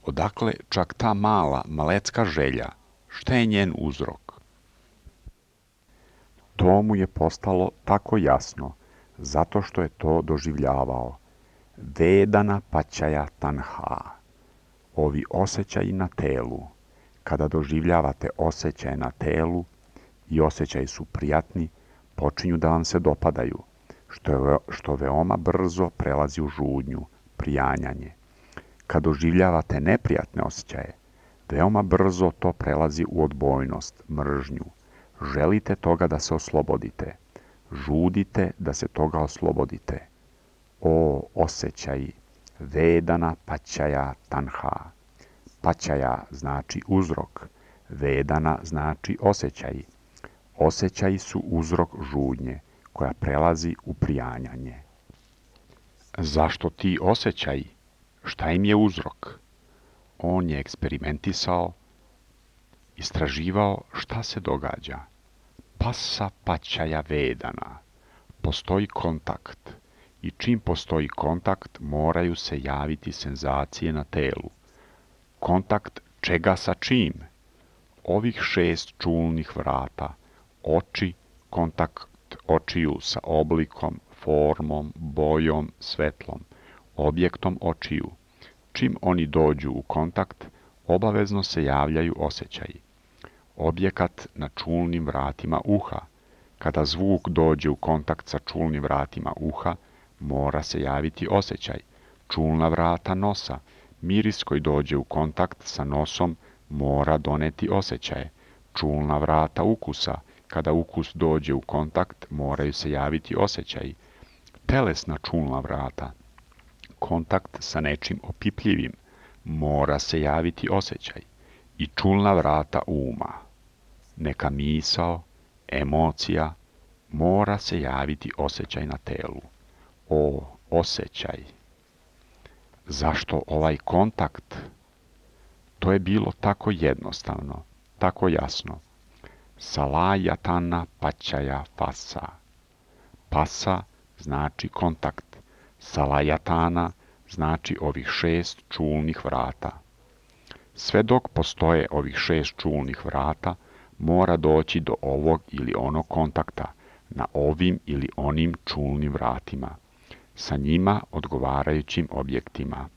A: Odakle čak ta mala, malecka želja? Šta je njen uzrok? To mu je postalo tako jasno, zato što je to doživljavao. Vedana pačaja tanha. Ovi osjećaji na telu. Kada doživljavate osjećaje na telu i osjećaji su prijatni, počinju da vam se dopadaju, što, je, što veoma brzo prelazi u žudnju, prijanjanje. Kad doživljavate neprijatne osjećaje, veoma brzo to prelazi u odbojnost, mržnju. Želite toga da se oslobodite. Žudite da se toga oslobodite. O, osjećaji, vedana pačaja tanha. Pačaja znači uzrok, vedana znači osjećaji. Osjećaji su uzrok žudnje, koja prelazi u prijanjanje. Zašto ti osjećaji? Šta im je uzrok? On je eksperimentisao, istraživao šta se događa. Pasa pačaja vedana. Postoji kontakt. I čim postoji kontakt, moraju se javiti senzacije na telu. Kontakt čega sa čim? Ovih šest čulnih vrata. Oči, kontakt očiju sa oblikom, formom, bojom, svetlom, objektom očiju. Čim oni dođu u kontakt, obavezno se javljaju osjećaji. Objekat na čulnim vratima uha. Kada zvuk dođe u kontakt sa čulnim vratima uha, mora se javiti osjećaj. Čulna vrata nosa. Miris koji dođe u kontakt sa nosom mora doneti osjećaje. Čulna vrata ukusa. Kada ukus dođe u kontakt, moraju se javiti osjećaji. Telesna čulna vrata. Kontakt sa nečim opipljivim. Mora se javiti osjećaj. I čulna vrata uma. Neka misao, emocija, mora se javiti osjećaj na telu. O, osjećaj. Zašto ovaj kontakt? To je bilo tako jednostavno, tako jasno. Salajatana pačaja fasa. Pasa znači kontakt. Salajatana znači ovih šest čulnih vrata. Sve dok postoje ovih šest čulnih vrata, mora doći do ovog ili onog kontakta na ovim ili onim čulnim vratima, sa njima odgovarajućim objektima.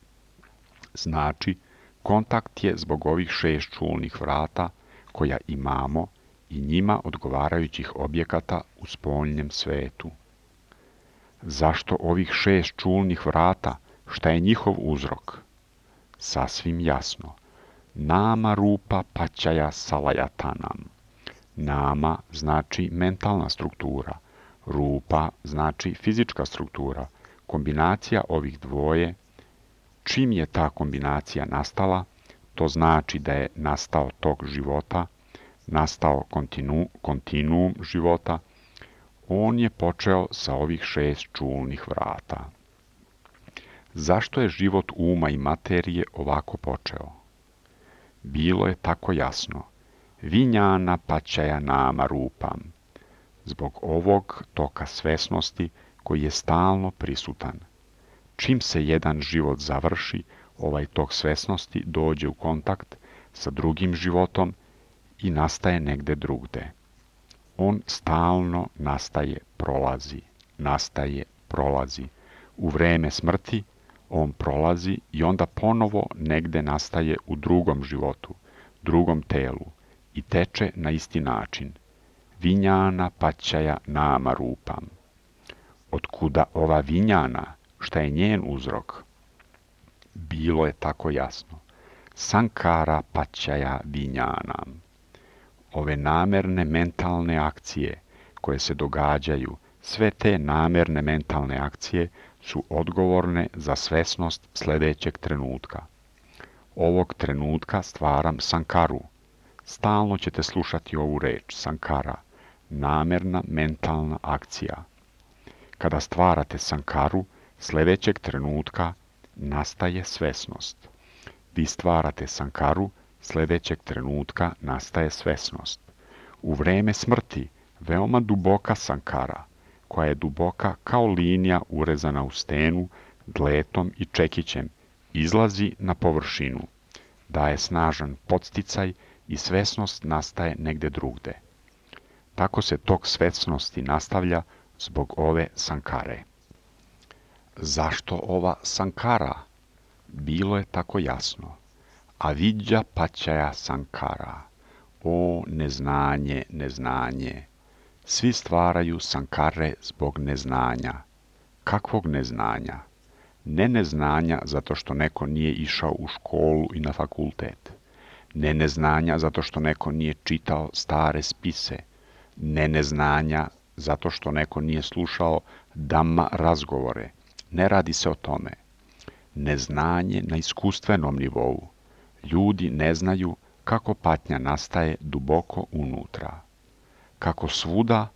A: Znači, kontakt je zbog ovih šest čulnih vrata koja imamo i njima odgovarajućih objekata u spoljnjem svetu. Zašto ovih šest čulnih vrata? Šta je njihov uzrok? Sasvim jasno. Nama rupa pačaja salajatanam. Nama znači mentalna struktura. Rupa znači fizička struktura. Kombinacija ovih dvoje. Čim je ta kombinacija nastala, to znači da je nastao tok života, nastao kontinu, kontinuum života. On je počeo sa ovih šest čulnih vrata. Zašto je život uma i materije ovako počeo? Bilo je tako jasno. Vinjana pačaja nama rupam. Zbog ovog toka svesnosti koji je stalno prisutan. Čim se jedan život završi, ovaj tok svesnosti dođe u kontakt sa drugim životom i nastaje negde drugde. On stalno nastaje, prolazi, nastaje, prolazi. U vreme smrti on prolazi i onda ponovo negde nastaje u drugom životu, drugom telu i teče na isti način. Vinjana pačaja nama rupam. Otkuda ova vinjana? Šta je njen uzrok? Bilo je tako jasno. Sankara pačaja vinjanam. Ove namerne mentalne akcije koje se događaju, sve te namerne mentalne akcije su odgovorne za svesnost sljedećeg trenutka. Ovog trenutka stvaram sankaru. Stalno ćete slušati ovu reč, sankara, namerna mentalna akcija. Kada stvarate sankaru, sljedećeg trenutka nastaje svesnost. Vi stvarate sankaru, sljedećeg trenutka nastaje svesnost. U vreme smrti veoma duboka sankara, koja je duboka kao linija urezana u stenu, dletom i čekićem, izlazi na površinu, daje snažan podsticaj i svesnost nastaje negde drugde. Tako se tok svesnosti nastavlja zbog ove sankare. Zašto ova sankara? Bilo je tako jasno. Avidja pačaja sankara. O neznanje, neznanje. Svi stvaraju sankare zbog neznanja. Kakvog neznanja? Ne neznanja zato što neko nije išao u školu i na fakultet. Ne neznanja zato što neko nije čitao stare spise. Ne neznanja zato što neko nije slušao dhamma razgovore. Ne radi se o tome. Neznanje na iskustvenom nivou. Ljudi ne znaju kako patnja nastaje duboko unutra. Kako svuda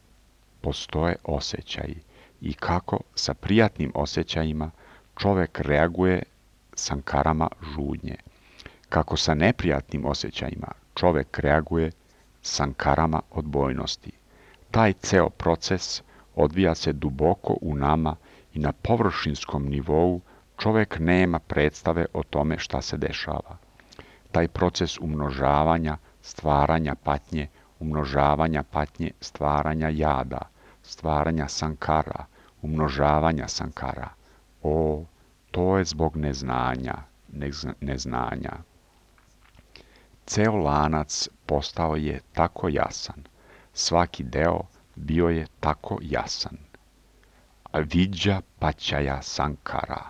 A: postoje osjećaji i kako sa prijatnim osjećajima čovjek reaguje sankarama žudnje. Kako sa neprijatnim osjećajima čovjek reaguje sankarama odbojnosti. Taj ceo proces odvija se duboko u nama i na površinskom nivou čovjek nema predstave o tome šta se dešava. Taj proces umnožavanja, stvaranja patnje, umnožavanja patnje, stvaranja jada, stvaranja sankara, umnožavanja sankara. O, to je zbog neznanja, neznanja. Ceo lanac postao je tako jasan. Svaki deo bio je tako jasan. Avidja pačaja sankara.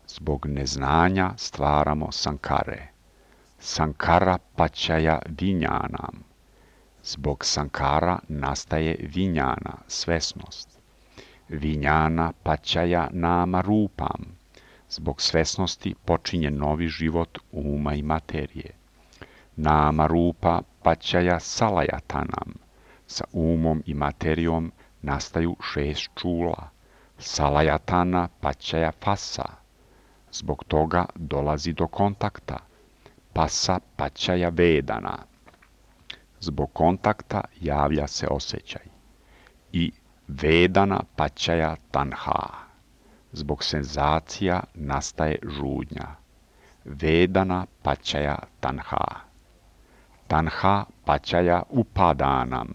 A: Zbog neznanja stvaramo sankare. Sankara pačaja vinjanam. Zbog sankara nastaje vinjana, svesnost. Vinjana pačaja nama rupam. Zbog svesnosti počinje novi život uma i materije. Nama rupa pačaja salajatanam. Sa umom i materijom nastaju šest čula. Salajatana pačaja fasa. Zbog toga dolazi do kontakta. Pasa pačaja vedana. Zbog kontakta javlja se osjećaj. I vedana pačaja tanha. Zbog senzacija nastaje žudnja. Vedana pačaja tanha. Tanha pačaja upadanam.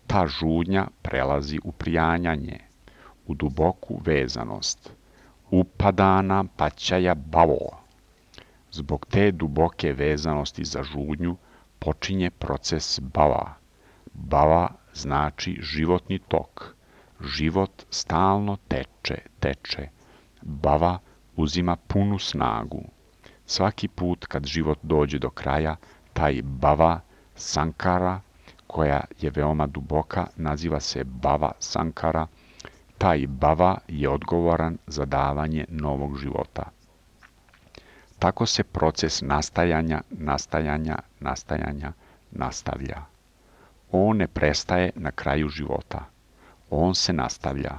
A: Ta žudnja prelazi u prijanjanje, u duboku vezanost. Upadana pačaja bavo. Zbog te duboke vezanosti za žudnju počinje proces bava. Bava znači životni tok. Život stalno teče, teče. Bava uzima punu snagu. Svaki put kad život dođe do kraja, taj bava, sankara, koja je veoma duboka, naziva se bava sankara. Taj bava je odgovoran za davanje novog života. Tako se proces nastajanja, nastajanja, nastajanja nastavlja. On ne prestaje na kraju života. On se nastavlja.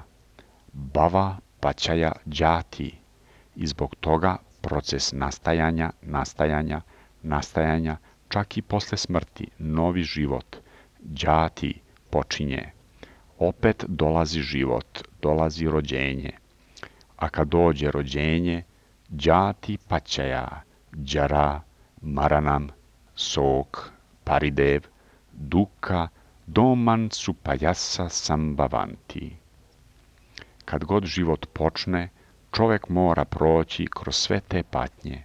A: Bava pačaja džati. i zbog toga proces nastajanja, nastajanja, nastajanja, čak i posle smrti, novi život, đati, počinje. Opet dolazi život, dolazi rođenje. A kad dođe rođenje, đati paćaja, đara, maranam, sok, paridev, duka, doman supajasa sambavanti. Kad god život počne, čovek mora proći kroz sve te patnje.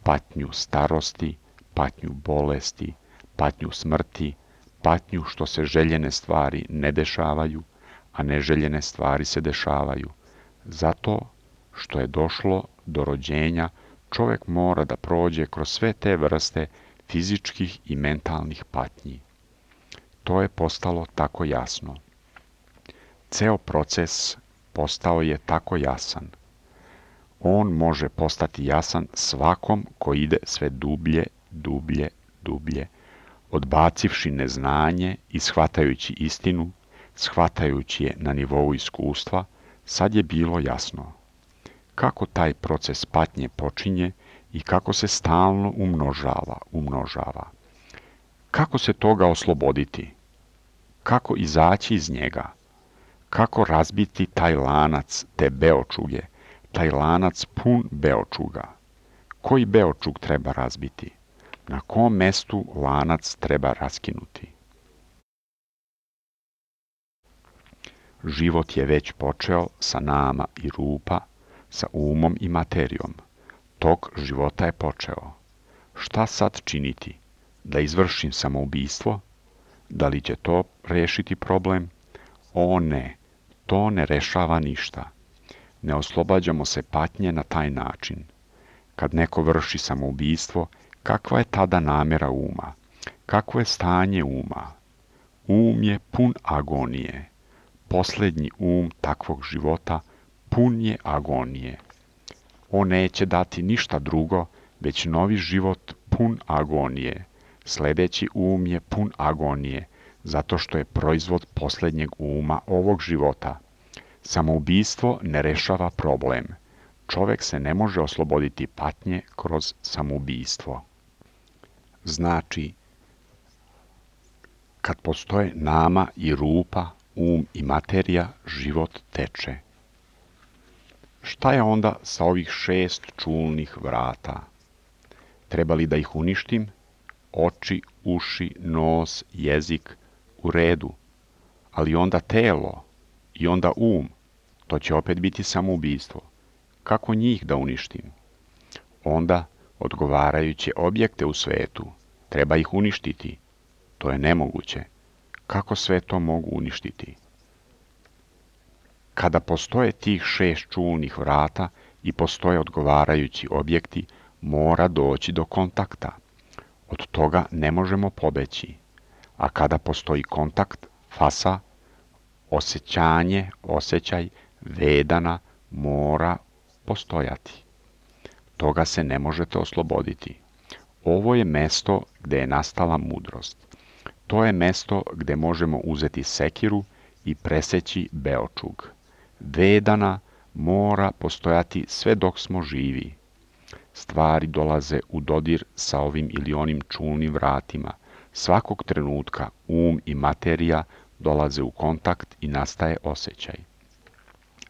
A: Patnju starosti, patnju bolesti, patnju smrti, patnju što se željene stvari ne dešavaju, a neželjene stvari se dešavaju. Zato što je došlo do rođenja, čovek mora da prođe kroz sve te vrste fizičkih i mentalnih patnji. To je postalo tako jasno. Ceo proces postao je tako jasan. On može postati jasan svakom ko ide sve dublje, dublje, dublje, odbacivši neznanje i shvatajući istinu, shvatajući je na nivou iskustva, sad je bilo jasno kako taj proces patnje počinje i kako se stalno umnožava, umnožava. Kako se toga osloboditi? Kako izaći iz njega? Kako razbiti taj lanac, te beočuge, taj lanac pun beočuga? Koji beočug treba razbiti? Na kom mestu lanac treba raskinuti? Život je već počeo sa nama i rupa, sa umom i materijom. Tok života je počeo. Šta sad činiti? Da izvršim samoubistvo? Da li će to rešiti problem? O ne, to ne rešava ništa. Ne oslobađamo se patnje na taj način. Kad neko vrši samoubistvo, kakva je tada namjera uma? Kakvo je stanje uma? Um je pun agonije. Posljednji um takvog života pun je agonije. On neće dati ništa drugo, već novi život pun agonije. Sljedeći um je pun agonije, zato što je proizvod posljednjeg uma ovog života. Samoubistvo ne rešava problem. Čovek se ne može osloboditi patnje kroz samoubistvo. Znači, kad postoje nama i rupa, um i materija, život teče. Šta je onda sa ovih šest čulnih vrata? Treba li da ih uništim? Oči, uši, nos, jezik, u redu. Ali onda telo i onda um, to će opet biti samoubistvo. Kako njih da uništim? Onda odgovarajuće objekte u svetu. Treba ih uništiti. To je nemoguće. Kako sve to mogu uništiti? Kada postoje tih šest čulnih vrata i postoje odgovarajući objekti, mora doći do kontakta. Od toga ne možemo pobeći. A kada postoji kontakt, fasa, osjećanje, osjećaj, vedana, mora postojati. Toga se ne možete osloboditi. Ovo je mesto gde je nastala mudrost. To je mesto gde možemo uzeti sekiru i preseći beočug. Vedana mora postojati sve dok smo živi. Stvari dolaze u dodir sa ovim ili onim čulnim vratima. Svakog trenutka um i materija dolaze u kontakt i nastaje osjećaj.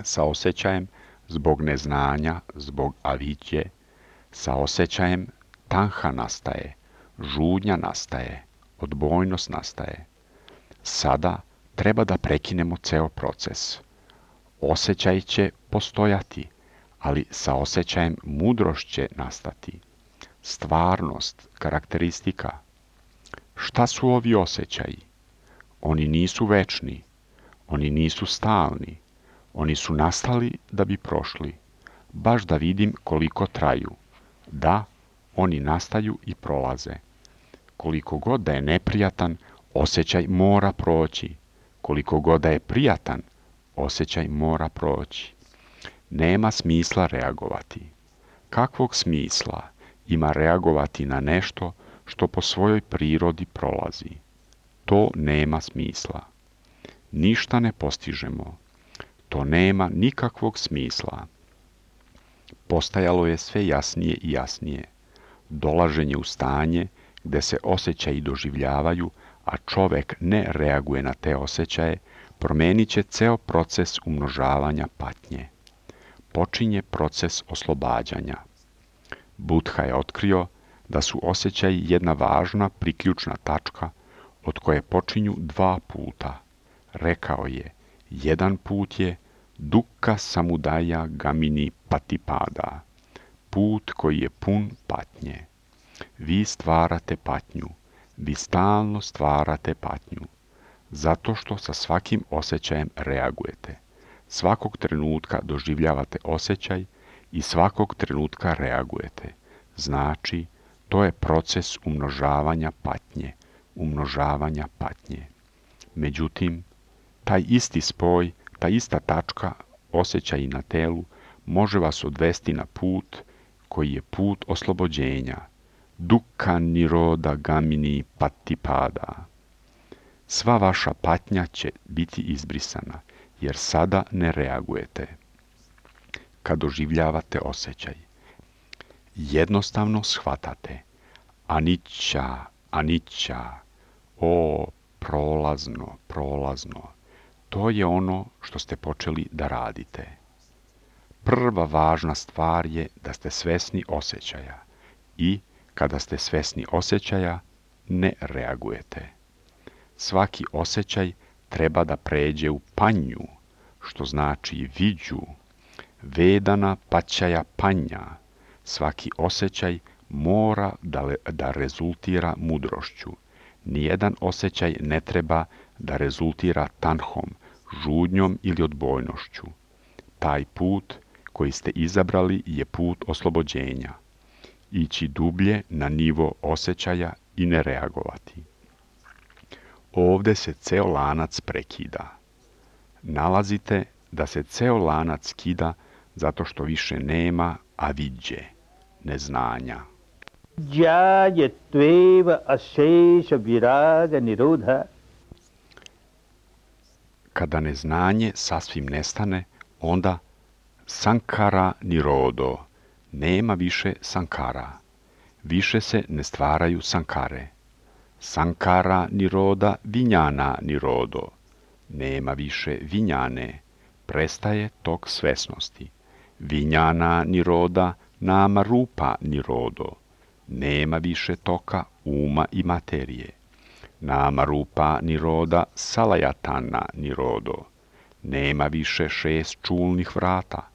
A: Sa osjećajem, zbog neznanja, zbog avidje, sa osjećajem tanha nastaje, žudnja nastaje, odbojnost nastaje. Sada treba da prekinemo ceo proces. Osjećaj će postojati, ali sa osjećajem mudrost će nastati. Stvarnost, karakteristika. Šta su ovi osjećaji? Oni nisu večni, oni nisu stalni, oni su nastali da bi prošli. Baš da vidim koliko traju. Da, oni nastaju i prolaze. Koliko god da je neprijatan, osjećaj mora proći. Koliko god da je prijatan, osjećaj mora proći. Nema smisla reagovati. Kakvog smisla ima reagovati na nešto što po svojoj prirodi prolazi? To nema smisla. Ništa ne postižemo. To nema nikakvog smisla. Postajalo je sve jasnije i jasnije. Dolaženje u stanje gde se osjećaji doživljavaju, a čovek ne reaguje na te osjećaje, promenit će ceo proces umnožavanja patnje. Počinje proces oslobađanja. Buddha je otkrio da su osjećaji jedna važna priključna tačka od koje počinju dva puta. Rekao je, jedan put je dukkha samudaya gamini patipada, put koji je pun patnje. Vi stvarate patnju, vi stalno stvarate patnju, zato što sa svakim osjećajem reagujete. Svakog trenutka doživljavate osjećaj i svakog trenutka reagujete. Znači, to je proces umnožavanja patnje, umnožavanja patnje. Međutim, taj isti spoj, ta ista tačka, osjećaji na telu, može vas odvesti na put koji je put oslobođenja. Dukkha niroda gamini patipada. Sva vaša patnja će biti izbrisana, jer sada ne reagujete. Kad doživljavate osjećaj, jednostavno shvatate anicca, anicca, o, prolazno, prolazno. To je ono što ste počeli da radite. Prva važna stvar je da ste svesni osjećaja i kada ste svesni osjećaja, ne reagujete. Svaki osjećaj treba da pređe u panju, što znači viđu, vedana paćaja panja. Svaki osjećaj mora da, le, da rezultira mudrošću. Nijedan osjećaj ne treba da rezultira tanhom, žudnjom ili odbojnošću. Taj put koji ste izabrali je put oslobođenja. Ići dublje na nivo osjećaja i ne reagovati. Ovde se ceo lanac prekida. Nalazite da se ceo lanac kida zato što više nema avidje, neznanja.
B: Jyayatveva asesha viraga nirodha.
A: Kada neznanje sasvim nestane, onda sankara nirodo, nema više sankara. Više se ne stvaraju sankare. Sankara niroda vinjana nirodo, nema više vinjane, prestaje tok svesnosti. Vinjana niroda nama rupa nirodo, nema više toka uma i materije. Nama rupa niroda salayatana nirodo, nema više šest čulnih vrata.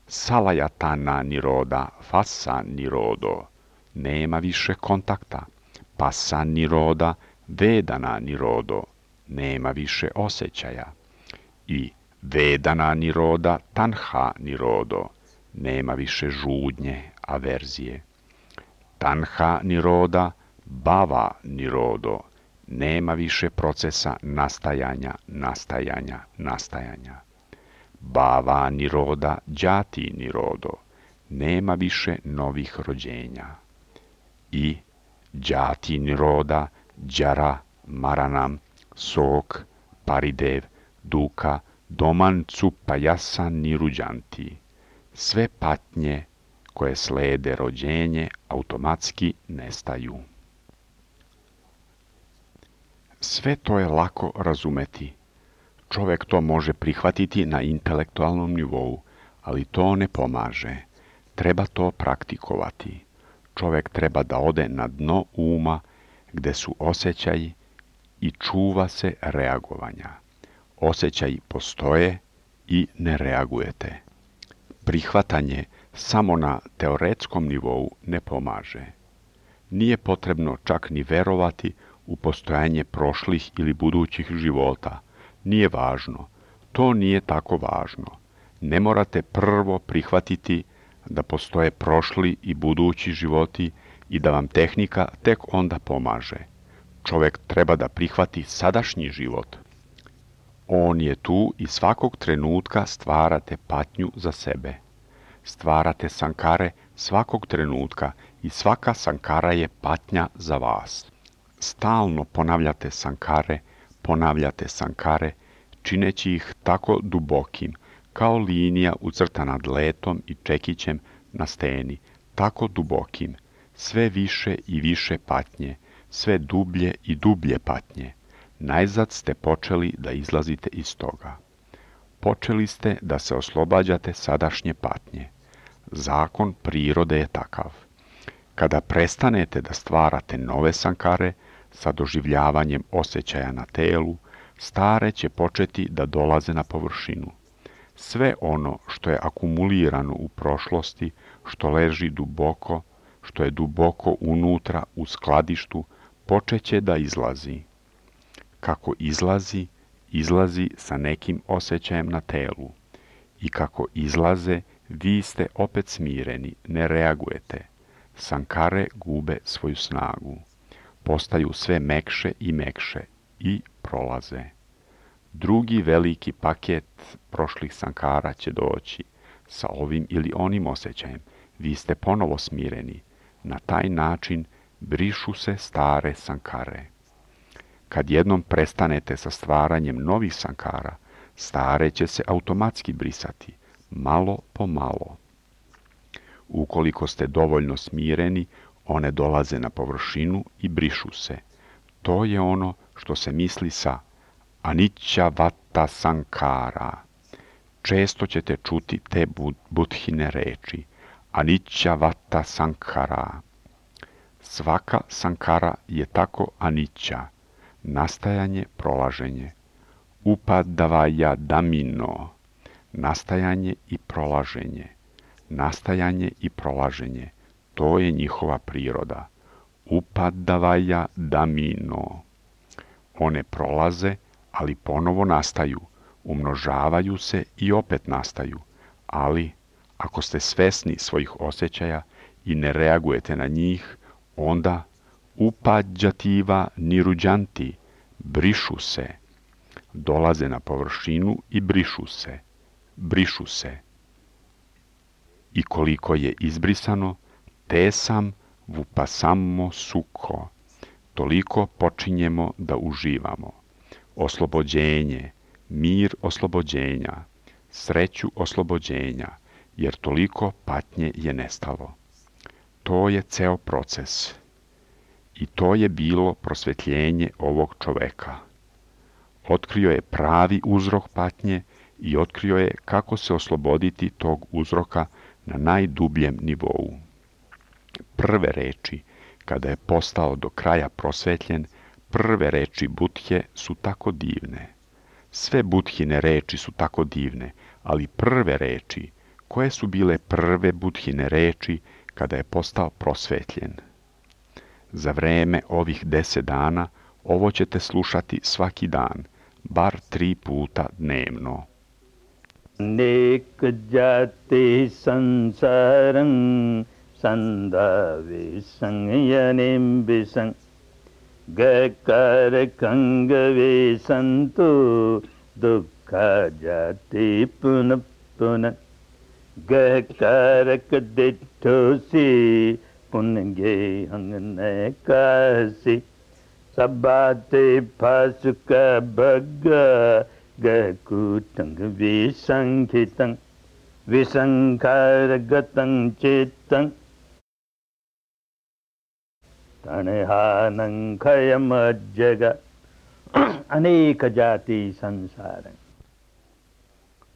A: Salayatana niroda fasa nirodo, nema više kontakta. Pasa niroda vedana nirodo, nema više osjećaja. I vedana niroda tanha nirodo, nema više žudnje, averzije. Tanha niroda bhava nirodo, nema više procesa nastajanja, nastajanja, nastajanja. Bhava niroda džati nirodo, nema više novih rođenja. I džati niroda džara maranam sok paridev duka domancu pajasa niruđanti. Sve patnje koje slede rođenje automatski nestaju. Sve to je lako razumeti. Čovek to može prihvatiti na intelektualnom nivou, ali to ne pomaže. Treba to praktikovati. Čovek treba da ode na dno uma gde su osjećaji i čuva se reagovanja. Osjećaji postoje i ne reagujete. Prihvatanje samo na teoretskom nivou ne pomaže. Nije potrebno čak ni verovati u postojanje prošlih ili budućih života. Nije važno. To nije tako važno. Ne morate prvo prihvatiti da postoje prošli i budući životi i da vam tehnika tek onda pomaže. Čovek treba da prihvati sadašnji život. On je tu i svakog trenutka stvarate patnju za sebe. Stvarate sankare svakog trenutka i svaka sankara je patnja za vas. Stalno ponavljate sankare, ponavljate sankare, čineći ih tako dubokim, kao linija ucrtana dletom i čekićem na steni, tako dubokim, sve više i više patnje, sve dublje i dublje patnje. Najzad ste počeli da izlazite iz toga. Počeli ste da se oslobađate sadašnje patnje. Zakon prirode je takav. Kada prestanete da stvarate nove sankare sa doživljavanjem osjećaja na telu, stare će početi da dolaze na površinu. Sve ono što je akumulirano u prošlosti, što leži duboko, što je duboko unutra u skladištu, počeće da izlazi. Kako izlazi, izlazi sa nekim osjećajem na telu. I kako izlaze, vi ste opet smireni, ne reagujete. Sankare gube svoju snagu. Postaju sve mekše i mekše i prolaze. Drugi veliki paket prošlih sankara će doći sa ovim ili onim osjećajem. Vi ste ponovo smireni. Na taj način brišu se stare sankare. Kad jednom prestanete sa stvaranjem novih sankara, stare će se automatski brisati, malo po malo. Ukoliko ste dovoljno smireni, one dolaze na površinu i brišu se. To je ono što se misli sa anicca vata sankara. Često ćete čuti te buddhine reči. Anicca vata sankara. Svaka sankara je tako anicca. Nastajanje, prolaženje. Upadavaja damino. Nastajanje i prolaženje. Nastajanje i prolaženje. To je njihova priroda. Upadavaja damino. One prolaze, ali ponovo nastaju. Umnožavaju se i opet nastaju. Ali, ako ste svesni svojih osjećaja i ne reagujete na njih, onda upađativa niruđanti, brišu se. Dolaze na površinu i brišu se. Brišu se. I koliko je izbrisano, te sam vupasamo suko. Toliko počinjemo da uživamo. Oslobođenje, mir oslobođenja, sreću oslobođenja, jer toliko patnje je nestalo. To je ceo proces. I to je bilo prosvetljenje ovog čoveka. Otkrio je pravi uzrok patnje i otkrio je kako se osloboditi tog uzroka na najdubljem nivou. Prve reči, kada je postao do kraja prosvetljen, prve reči Budhe su tako divne. Sve Budhine reči su tako divne, ali prve reči, koje su bile prve Budhine reči kada je postao prosvetljen? Za vreme ovih deset dana ovo ćete slušati svaki dan, bar tri puta dnevno.
B: Nek jati sansaram sandave sangyanem bisang gakar kangave santu dukkha jati puna puna gakar kadithosi punge hangne kasi sabate pasuka bhagga gakutang visankitang visankargatang chittang tanehanang kayamajjaga aneka jati sansaram.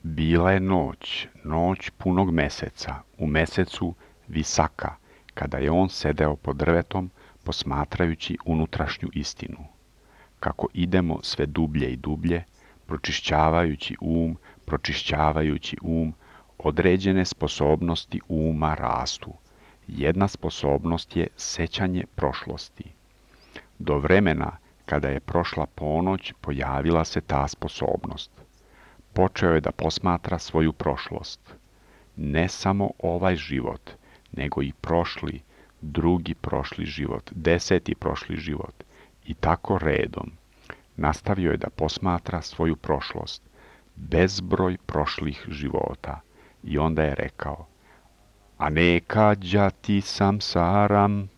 A: Bila je noć, noć punog meseca, u mesecu Visaka, kada je on sedeo pod drvetom, posmatrajući unutrašnju istinu. Kako idemo sve dublje i dublje, pročišćavajući um, pročišćavajući um, određene sposobnosti uma rastu. Jedna sposobnost je sećanje prošlosti. Do vremena kada je prošla ponoć, pojavila se ta sposobnost. Počeo je da posmatra svoju prošlost. Ne samo ovaj život, nego i prošli, drugi prošli život, deseti prošli život i tako redom. Nastavio je da posmatra svoju prošlost, bezbroj prošlih života. I onda je rekao, aneka jati samsaram,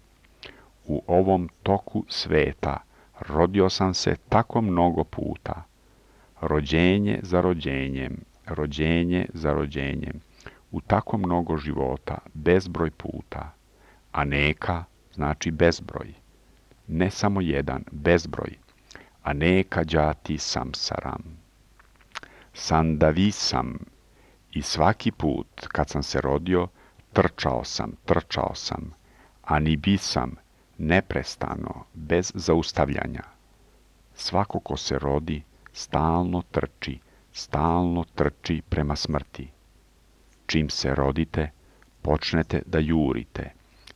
A: u ovom toku sveta rodio sam se tako mnogo puta. Rođenje za rođenjem, rođenje za rođenjem. u tako mnogo života, bezbroj puta. Aneka znači bezbroj. Ne samo jedan, bezbroj. Aneka džati samsaram. Sandavisam. I svaki put kad sam se rodio, trčao sam, trčao sam. Anibisam, neprestano, bez zaustavljanja. Svako ko se rodi, stalno trči, stalno trči prema smrti. Čim se rodite, počnete da jurite,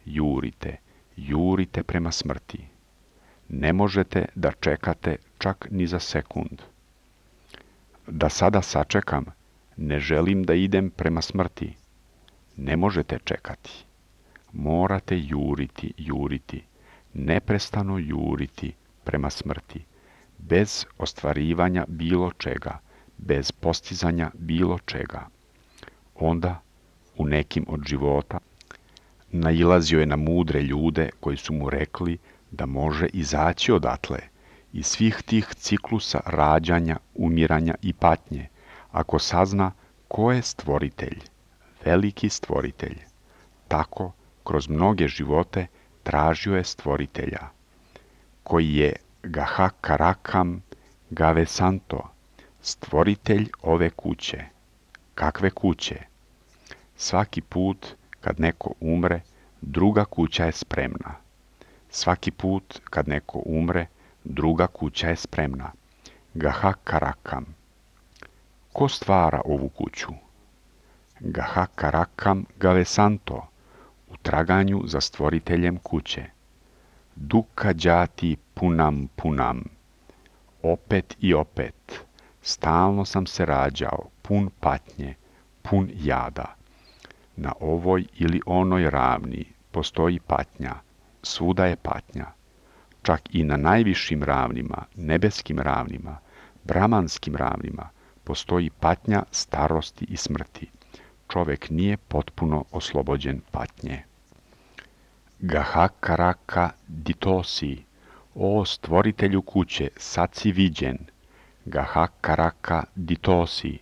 A: jurite, jurite prema smrti. Ne možete da čekate čak ni za sekund. Da sada sačekam, ne želim da idem prema smrti. Ne možete čekati. Morate juriti, juriti, neprestano juriti prema smrti, bez ostvarivanja bilo čega, bez postizanja bilo čega. Onda, u nekim od života, nailazio je na mudre ljude koji su mu rekli da može izaći odatle, iz svih tih ciklusa rađanja, umiranja i patnje, ako sazna ko je stvoritelj, veliki stvoritelj. Tako, kroz mnoge živote, tražio je stvoritelja, koji je Gahakarakam Gavesanto, stvoritelj ove kuće. Kakve kuće? Svaki put kad neko umre, druga kuća je spremna. Svaki put kad neko umre, druga kuća je spremna. Gahakarakam. Ko stvara ovu kuću? Gahakarakam Gavesanto, u traganju za stvoriteljem kuće. Duka džati punam punam. Opet i opet, stalno sam se rađao, pun patnje, pun jada. Na ovoj ili onoj ravni postoji patnja, svuda je patnja. Čak i na najvišim ravnima, nebeskim ravnima, brahmanskim ravnima, postoji patnja starosti i smrti. Čovek nije potpuno oslobođen patnje. Gahakaraka ditosi, o stvoritelju kuće, sad si viđen. Gahakaraka ditosi,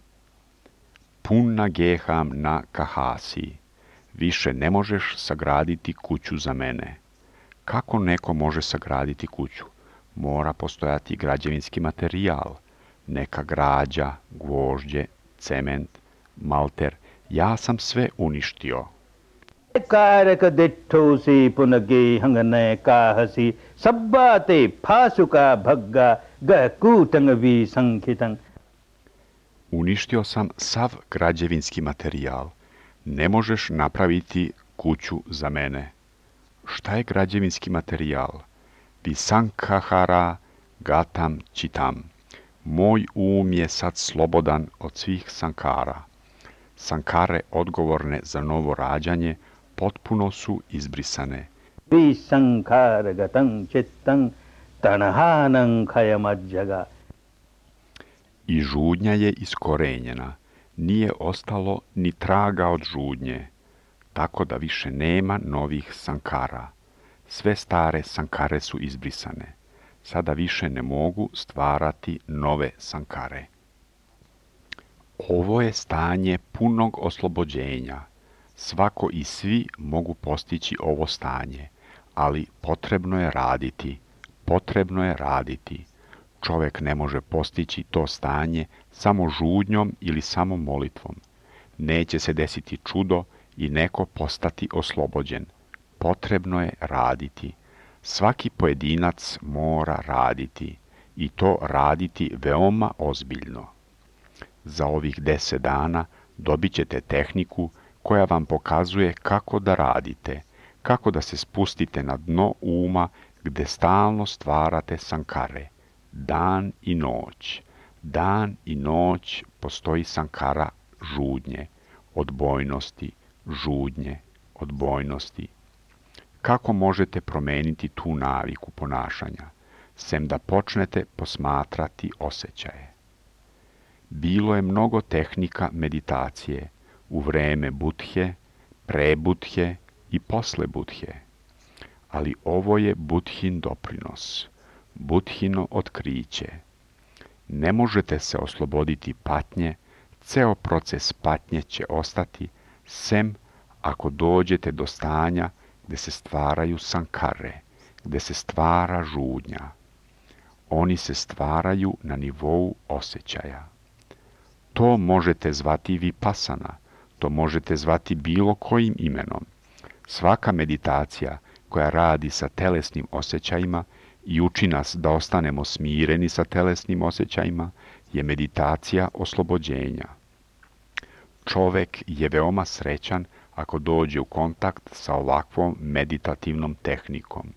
A: punna geham na kahasi, više ne možeš sagraditi kuću za mene. Kako neko može sagraditi kuću? Mora postojati građevinski materijal, neka građa, gvožđe, cement, malter. Ja sam sve uništio.
B: कारक दिट्ठोसी पुनगे हंगने काहसी सब्बाते फासुका भग्गा गकूटंग vi संखितं.
A: Uništio sam sav građevinski materijal. Ne možeš napraviti kuću za mene. Šta je građevinski materijal? Visankahara gatam čitam. Moj um je sad slobodan od svih sankara. Sankare odgovorne za novo rađanje potpuno su izbrisane.
B: Vi sankara gatam chittam tanahanam khayamajjaga.
A: I žudnja je iskorenjena. Nije ostalo ni traga od žudnje. Tako da više nema novih sankara. Sve stare sankare su izbrisane. Sada više ne mogu stvarati nove sankare. Ovo je stanje punog oslobođenja. Svako i svi mogu postići ovo stanje, ali potrebno je raditi, potrebno je raditi. Čovek ne može postići to stanje samo žudnjom ili samo molitvom. Neće se desiti čudo i neko postati oslobođen. Potrebno je raditi. Svaki pojedinac mora raditi i to raditi veoma ozbiljno. Za ovih deset dana dobit ćete tehniku koja vam pokazuje kako da radite, kako da se spustite na dno uma gde stalno stvarate sankare. Dan i noć, dan i noć postoji sankara žudnje, odbojnosti, žudnje, odbojnosti. Kako možete promeniti tu naviku ponašanja, sem da počnete posmatrati osjećaje? Bilo je mnogo tehnika meditacije u vreme Budhe, pre Budhe i posle Budhe. Ali ovo je Budhin doprinos, Budhino otkriće. Ne možete se osloboditi patnje, ceo proces patnje će ostati sem ako dođete do stanja gde se stvaraju sankare, gde se stvara žudnja. Oni se stvaraju na nivou osjećaja. To možete zvati vipasana, to možete zvati bilo kojim imenom. Svaka meditacija koja radi sa telesnim osjećajima i uči nas da ostanemo smireni sa telesnim osjećajima je meditacija oslobođenja. Čovek je veoma srećan ako dođe u kontakt sa ovakvom meditativnom tehnikom.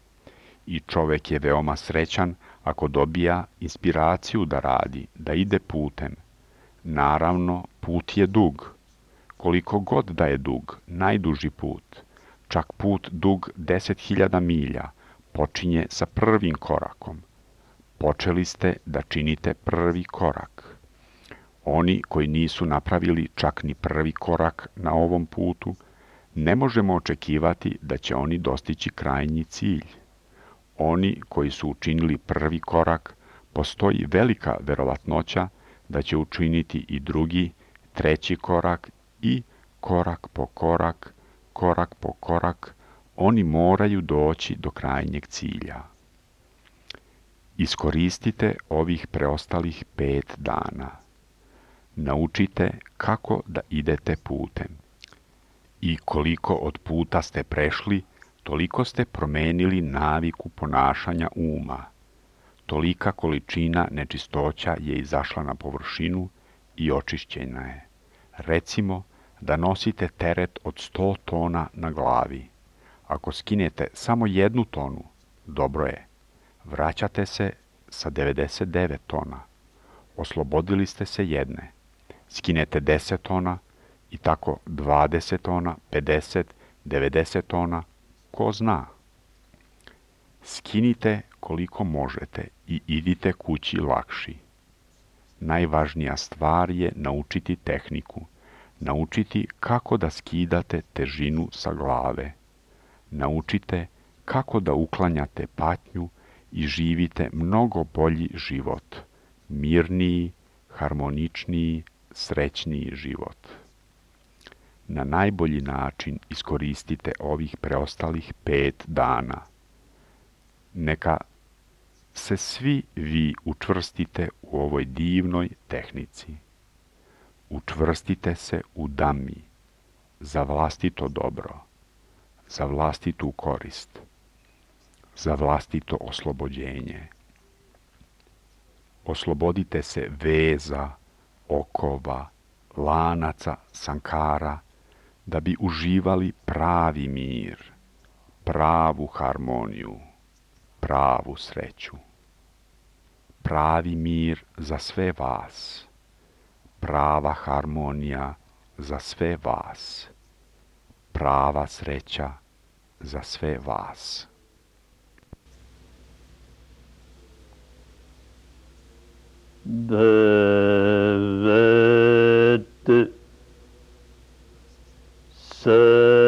A: I čovek je veoma srećan ako dobija inspiraciju da radi, da ide putem. Naravno, put je dug. Koliko god da je dug, najduži put, čak put dug deset hiljada milja, počinje sa prvim korakom. Počeli ste da činite prvi korak. Oni koji nisu napravili čak ni prvi korak na ovom putu, ne možemo očekivati da će oni dostići krajnji cilj. Oni koji su učinili prvi korak, postoji velika verovatnoća da će učiniti i drugi, treći korak i korak po korak, korak po korak, oni moraju doći do krajnjeg cilja. Iskoristite ovih preostalih pet dana. Naučite kako da idete putem. I koliko od puta ste prešli, toliko ste promenili naviku ponašanja uma. Tolika količina nečistoća je izašla na površinu i očišćena je. Recimo da nosite teret od sto tona na glavi. Ako skinete samo jednu tonu, dobro je. Vraćate se sa devedeset devet tona. Oslobodili ste se jedne. Skinete deset tona i tako dvadeset tona, pedeset, devedeset tona, ko zna. Skinite koliko možete i idite kući lakši. Najvažnija stvar je naučiti tehniku, naučiti kako da skidate težinu sa glave. Naučite kako da uklanjate patnju i živite mnogo bolji život, mirniji, harmoničniji, srećniji život. Na najbolji način iskoristite ovih preostalih pet dana. Neka se svi vi učvrstite u ovoj divnoj tehnici. Učvrstite se u Dhammi, za vlastito dobro, za vlastitu korist, za vlastito oslobođenje. Oslobodite se veza, okova, lanaca, sankara, da bi uživali pravi mir, pravu harmoniju, pravu sreću. Pravi mir za sve vas, prava harmonija za sve vas, prava sreća za sve vas.
B: Bhavat Sa